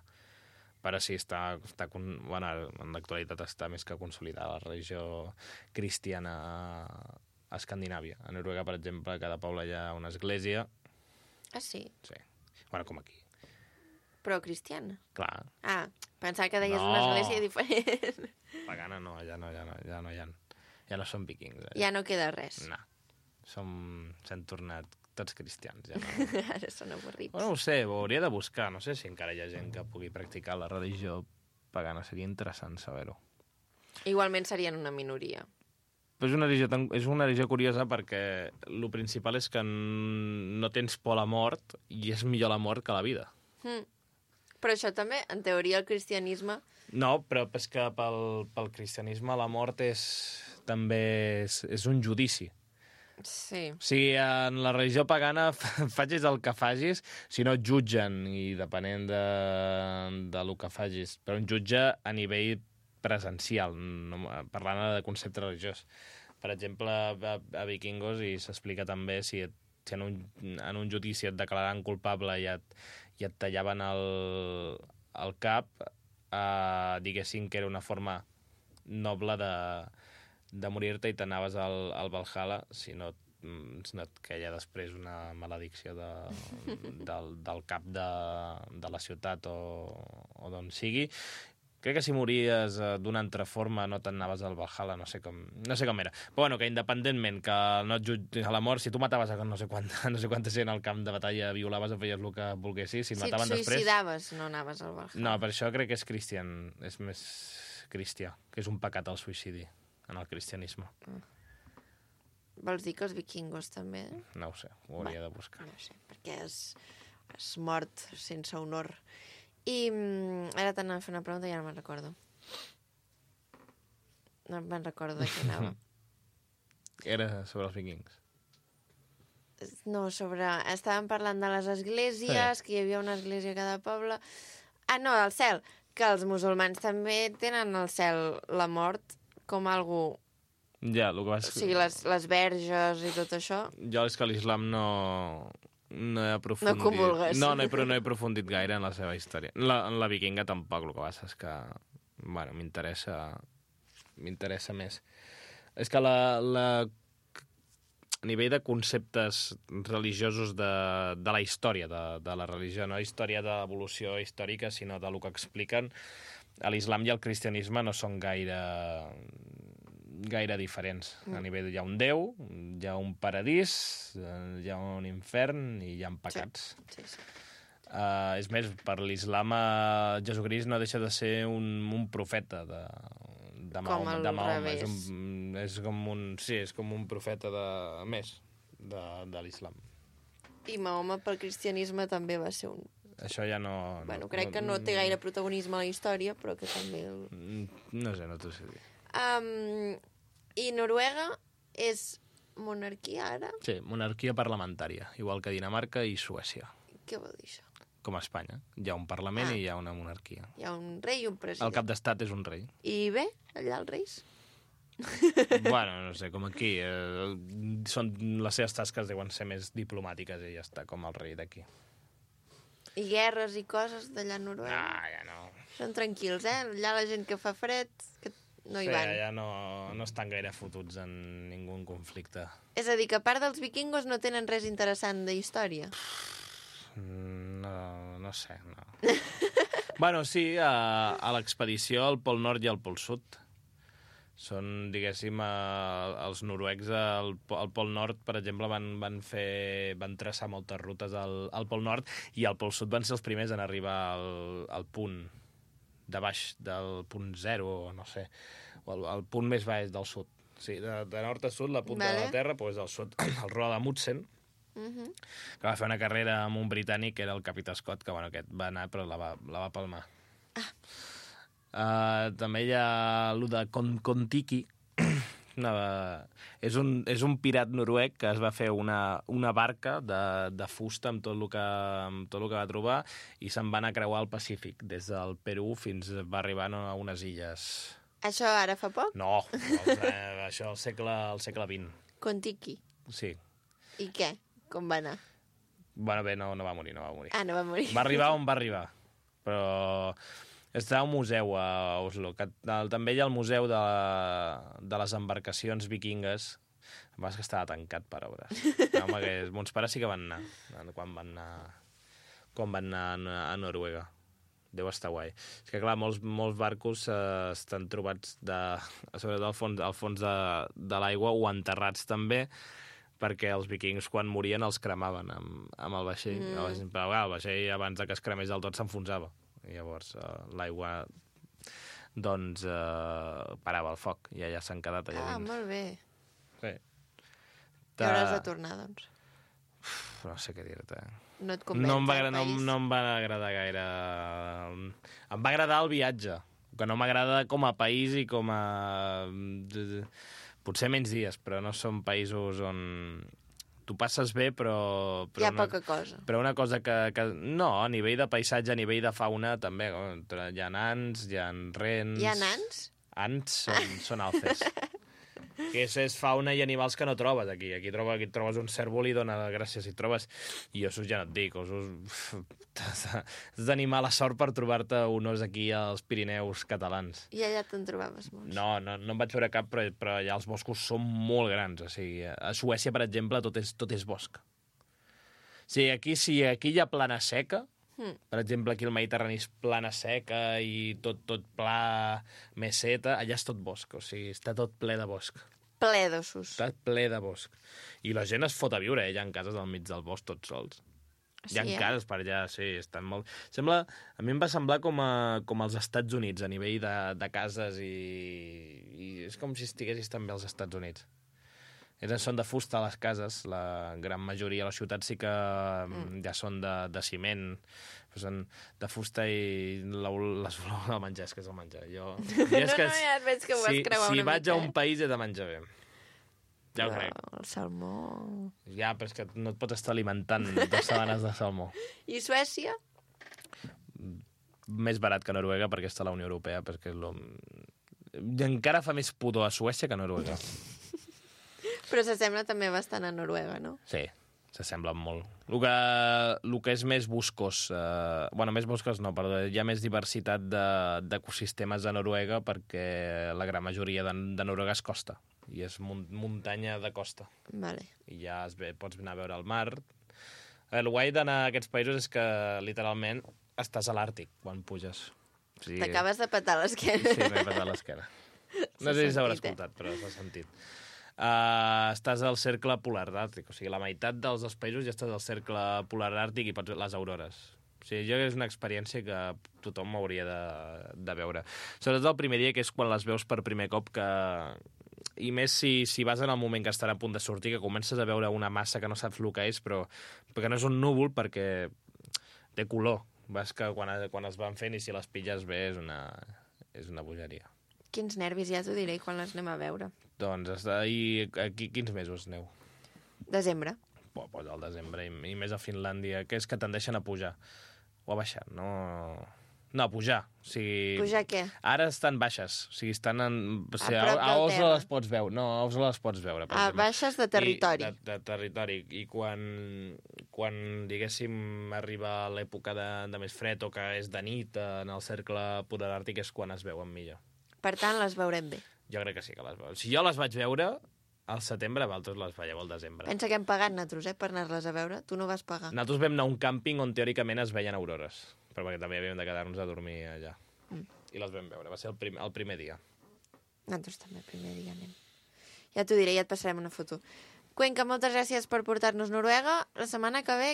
Però sí, està, està, bueno, en l'actualitat està més que consolidada la religió cristiana a Escandinàvia. A Noruega, per exemple, a cada poble hi ha una església. Ah, sí? Sí. Bueno, com aquí. Però cristiana? Clar. Ah, pensava que deies no. Una església diferent. Pagana no, ja no, ja no, ja no hi ha. Ja no són vikings. Eh? Ja no queda res. No. Som... S'han tornat tots cristians. Ja no. Ara són avorrits. Bueno, no ho sé, ho hauria de buscar. No sé si encara hi ha gent que pugui practicar la religió pagana. Seria interessant saber-ho. Igualment serien una minoria. Però és una religió, tan... és una religió curiosa perquè el principal és que no tens por a la mort i és millor la mort que la vida. Mm. Però això també, en teoria, el cristianisme... No, però és que pel, pel cristianisme la mort és també és, és un judici. Sí. O sigui, en la religió pagana facis el que facis, si no et jutgen, i depenent de, de lo que facis. Però un jutge a nivell presencial, no, parlant de concepte religiós. Per exemple, a, a Vikingos, i s'explica també, si, et, si en, un, en un judici et declararan culpable i et, i et tallaven el, el cap, eh, diguessin que era una forma noble de, de morir-te i t'anaves al, al Valhalla, si no, si no et queia després una maledicció de, del, del cap de, de la ciutat o, o d'on sigui. Crec que si mories d'una altra forma no t'anaves al Valhalla, no sé com, no sé com era. Però bueno, que independentment que no et jutges a la mort, si tu mataves a no sé quanta, no sé quanta gent al camp de batalla, violaves o feies el que volguessis, si et si mataven et després... suïcidaves, no anaves al Valhalla. No, per això crec que és cristian, és més cristià, que és un pecat el suïcidi en el cristianisme. Mm. Vols dir que els vikingos també? No ho sé, ho hauria Va, de buscar. No sé, perquè és, és mort sense honor. I mm, ara t'anava a fer una pregunta i ara no me'n recordo. No me'n recordo de què anava. Era sobre els vikings. No, sobre... Estàvem parlant de les esglésies, sí. Que hi havia una església a cada poble. Ah, no, el cel. Que els musulmans també tenen al cel la mort com algú... Ja, el que vas... O sigui, les, les verges i tot això. Jo és que l'islam no... No he aprofundit... No comulgues. No, no he, no he aprofundit gaire en la seva història. En la, en la vikinga tampoc, el que passa és que... Bueno, m'interessa... M'interessa més. És que la, la... A nivell de conceptes religiosos de, de la història de, de la religió, no història d'evolució històrica, sinó de lo que expliquen, l'islam i el cristianisme no són gaire... gaire diferents. A nivell hi ha un déu, hi ha un paradís, hi ha un infern i hi ha pecats. Sí, sí, sí. Uh, és més, per l'islam uh, Jesucrist no deixa de ser un, un profeta de, de Mahoma. Com al de Mahoma. revés. És, un, és com un, sí, és com un profeta de, més de, de l'islam. I Mahoma pel cristianisme també va ser un... Això ja no... Bueno, no, crec no, que no té gaire protagonisme a la història, però que també... El... No sé, no t'ho sé dir. Um, I Noruega és monarquia ara? Sí, monarquia parlamentària, igual que Dinamarca i Suècia. Què vol dir això? Com a Espanya. Hi ha un parlament Ah. i hi ha una monarquia. Hi ha un rei i un president. El cap d'estat és un rei. I bé, allà els reis? Bueno, no sé, com aquí. Eh, són, les seves tasques deuen ser més diplomàtiques i ja està, com el rei d'aquí. I guerres i coses d'allà a Noruega? Ah, ja no. Són tranquils, eh? Allà la gent que fa fred, que no hi sí, van. ja no, no estan gaire fotuts en ningú conflicte. És a dir, que a part dels vikingos no tenen res interessant de història. No, no sé, no. Bueno, sí, a, a l'expedició al Pol Nord i al Pol Sud. Són, diguéssim, a, els noruecs al, al Pol Nord, per exemple, van, van, fer, van traçar moltes rutes al, al Pol Nord i al Pol Sud van ser els primers en arribar al, al punt de baix, del punt zero, no sé, o el, el punt més baix del sud. Sí, de, de nord a sud, la punta Vale. de la Terra, doncs al sud, el Roa de Mutsen, Uh-huh. que va fer una carrera amb un britànic, que era el Capità Scott, que bueno, aquest va anar però la va, la va palmar. Ah. Uh, també hi ha allò de Kon-Kon-Tiki, una, és, un, és un pirat noruec que es va fer una, una barca de, de fusta amb tot, el que, amb tot el que va trobar i se'n va anar a creuar el Pacífic, des del Perú fins va arribar a unes illes. Això ara fa poc? No, els, eh, això al segle, al segle vint. Kon-Tiki. Sí. I què? Com va anar? Bueno, bé, no, no va morir, no va morir. Ah, no va morir. Va arribar on va arribar, però està un museu a Oslo, que també hi ha el museu de, de les embarcacions vikingues, va que estava tancat per obres. No, home, que mons pares sí que van anar, quan van anar, quan van anar a Noruega. deu estar guai. És que, clar, molts, molts barcos eh, estan trobats de, sobretot al fons, al fons de, de l'aigua o enterrats també, perquè els vikings, quan morien, els cremaven amb, amb el vaixell. Mm. Però clar, el vaixell, abans de que es cremés del tot, s'enfonsava. I llavors eh, l'aigua doncs eh, parava el foc i allà s'han quedat allà Ah, dins. molt bé. Sí. I hauràs de tornar, doncs. Uf, no sé què dir-te. No et convenç, No em, va, el agra- no, país? no em va agradar gaire. Em va agradar el viatge, que no m'agrada com a país i com a... Potser menys dies, però no són països on tu passes bé, però... però Hi ha una, poca cosa. Però una cosa que, que... No, a nivell de paisatge, a nivell de fauna, també. Hi ha ants, hi ha rens... Hi ha nans? Ants són, són alces. Que és, és fauna i animals que no trobes aquí. Aquí, troba, aquí trobes un cèrvol i dona gràcies. Si trobes... I ossos ja no et dic, ossos... Has d'animar mala sort per trobar-te un os aquí als Pirineus catalans. I allà te'n trobaves molts. No, no, no en vaig veure cap, però, però allà els boscos són molt grans. O sigui, a Suècia, per exemple, tot és, tot és bosc. O sigui, aquí, si aquí hi ha plana seca, Mm. per exemple, aquí el Mediterrani és plana seca i tot, tot pla, meseta, allà és tot bosc, o sigui, està tot ple de bosc. Ple d'ossos. Està ple de bosc. I la gent es fot a viure, eh? Hi ha cases al mig del bosc tots sols. Hi ha Sí, eh? cases per allà, sí, estan molt... Sembla, a mi em va semblar com, a, com als Estats Units, a nivell de, de cases i, i és com si estiguessis també als Estats Units. Eren, són de fusta les cases, la gran majoria de les ciutats sí que mm. ja són de, de ciment, són de fusta i la, les olors del menjar, és que és el menjar. Jo, jo és no, que, no, ja et veig que ho vas si, creuar si una vaig mica, a un eh? país he de menjar bé. Ja ho Però crec. el salmó... Ja, però és que no et pots estar alimentant dues setmanes de salmó. I Suècia? Més barat que Noruega perquè està a la Unió Europea, perquè és lo... encara fa més pudor a Suècia que a Noruega. Però s'assembla també bastant a Noruega, no? Sí, s'assemblen molt. El que, el que és més boscós... Eh, bueno, més boscós no, perdó. Hi ha més diversitat de- d'ecosistemes de Noruega perquè la gran majoria de, de Noruega és costa. I és mun muntanya de costa. Vale. I ja es ve, pots anar a veure el mar. El guai d'anar a aquests països és que, literalment, estàs a l'Àrtic quan puges. O sigui, T'acabes de petar l'esquena. Sí, m'he patat l'esquena. No sé si s'haurà escoltat, però s'ha sentit. Uh, estàs al cercle polar àrtic, o sigui, la meitat dels dos països ja estàs al cercle polar àrtic i pots veure les aurores. O sigui, jo és una experiència que tothom hauria de, de veure. Sobretot el primer dia, que és quan les veus per primer cop, que... i més si, si vas en el moment que estarà a punt de sortir, que comences a veure una massa que no saps el que és, però perquè no és un núvol, perquè té color. Vas que quan, quan es van fent i si les pilles bé és una, és una bogeria. Quins nervis, ja t'ho diré quan les anem a veure. Doncs està, i aquí quins mesos aneu? Desembre. Bo, pues al desembre i, i més a Finlàndia, que és que tendeixen a pujar o a baixar, no... No, a pujar. O sigui, Pujar què? ara estan baixes, o sigui, estan en... O sigui, A a, prop a del Oslo terra. les pots veure. No, a Oslo les pots veure. Per A exemple. baixes de territori. I, de, de territori. I quan, quan diguéssim, arriba l'època de, de més fred o que és de nit en el cercle polar àrtic és quan es veuen millor. Per tant, les veurem bé. Jo crec que sí que les veuen. Si jo les vaig veure al setembre, vosaltres les veieu al desembre. Pensa que hem pagat nosaltres, eh, per anar-les a veure. Tu no vas pagar. Nosaltres vam anar a un càmping on teòricament es veien aurores, però perquè també havíem de quedar-nos a dormir allà. Mm. I les vam veure, va ser el, prim, el primer dia. Nosaltres també, el primer dia anem. Ja t'ho diré, ja et passarem una foto. Cuenca, moltes gràcies per portar-nos Noruega. La setmana que ve,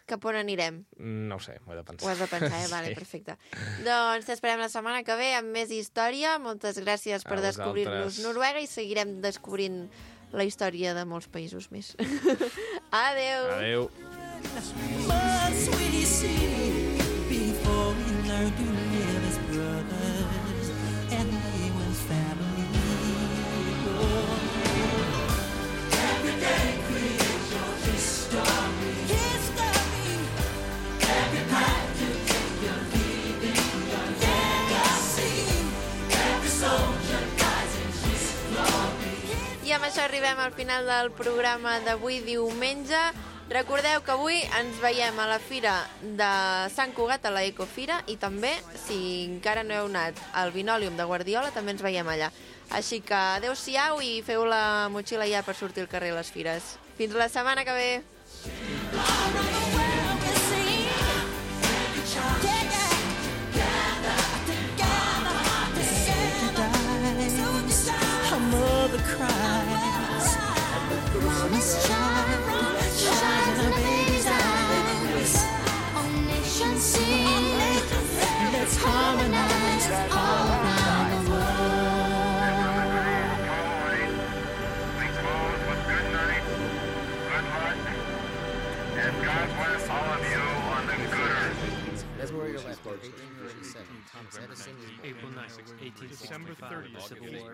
cap on anirem? No ho sé, ho he de pensar. Ho has de pensar, eh? Vale, Sí. perfecte. Doncs t'esperem la setmana que ve amb més història. Moltes gràcies per A descobrir-nos vosaltres. Noruega i seguirem descobrint la història de molts països més. Adeu! Adeu. But sweetie, see, before we learn to live as brothers and live with family. Every day creates your history. History. Every path you take, you're leaving your legacy. Every soldier dies in his glory. I amb això arribem al final del programa d'avui diumenge. Recordeu que avui ens veiem a la fira de Sant Cugat, a la Ecofira, i també, si encara no heu anat al Vinòlium de Guardiola, també ens veiem allà. Així que adeu-siau i feu la motxilla ja per sortir al carrer a les fires. Fins la setmana que ve! All around the world we see. Take it. thirty-seven, Thomas Edison is born. April ninth, eighteen sixty-five, December thirtieth, Civil War.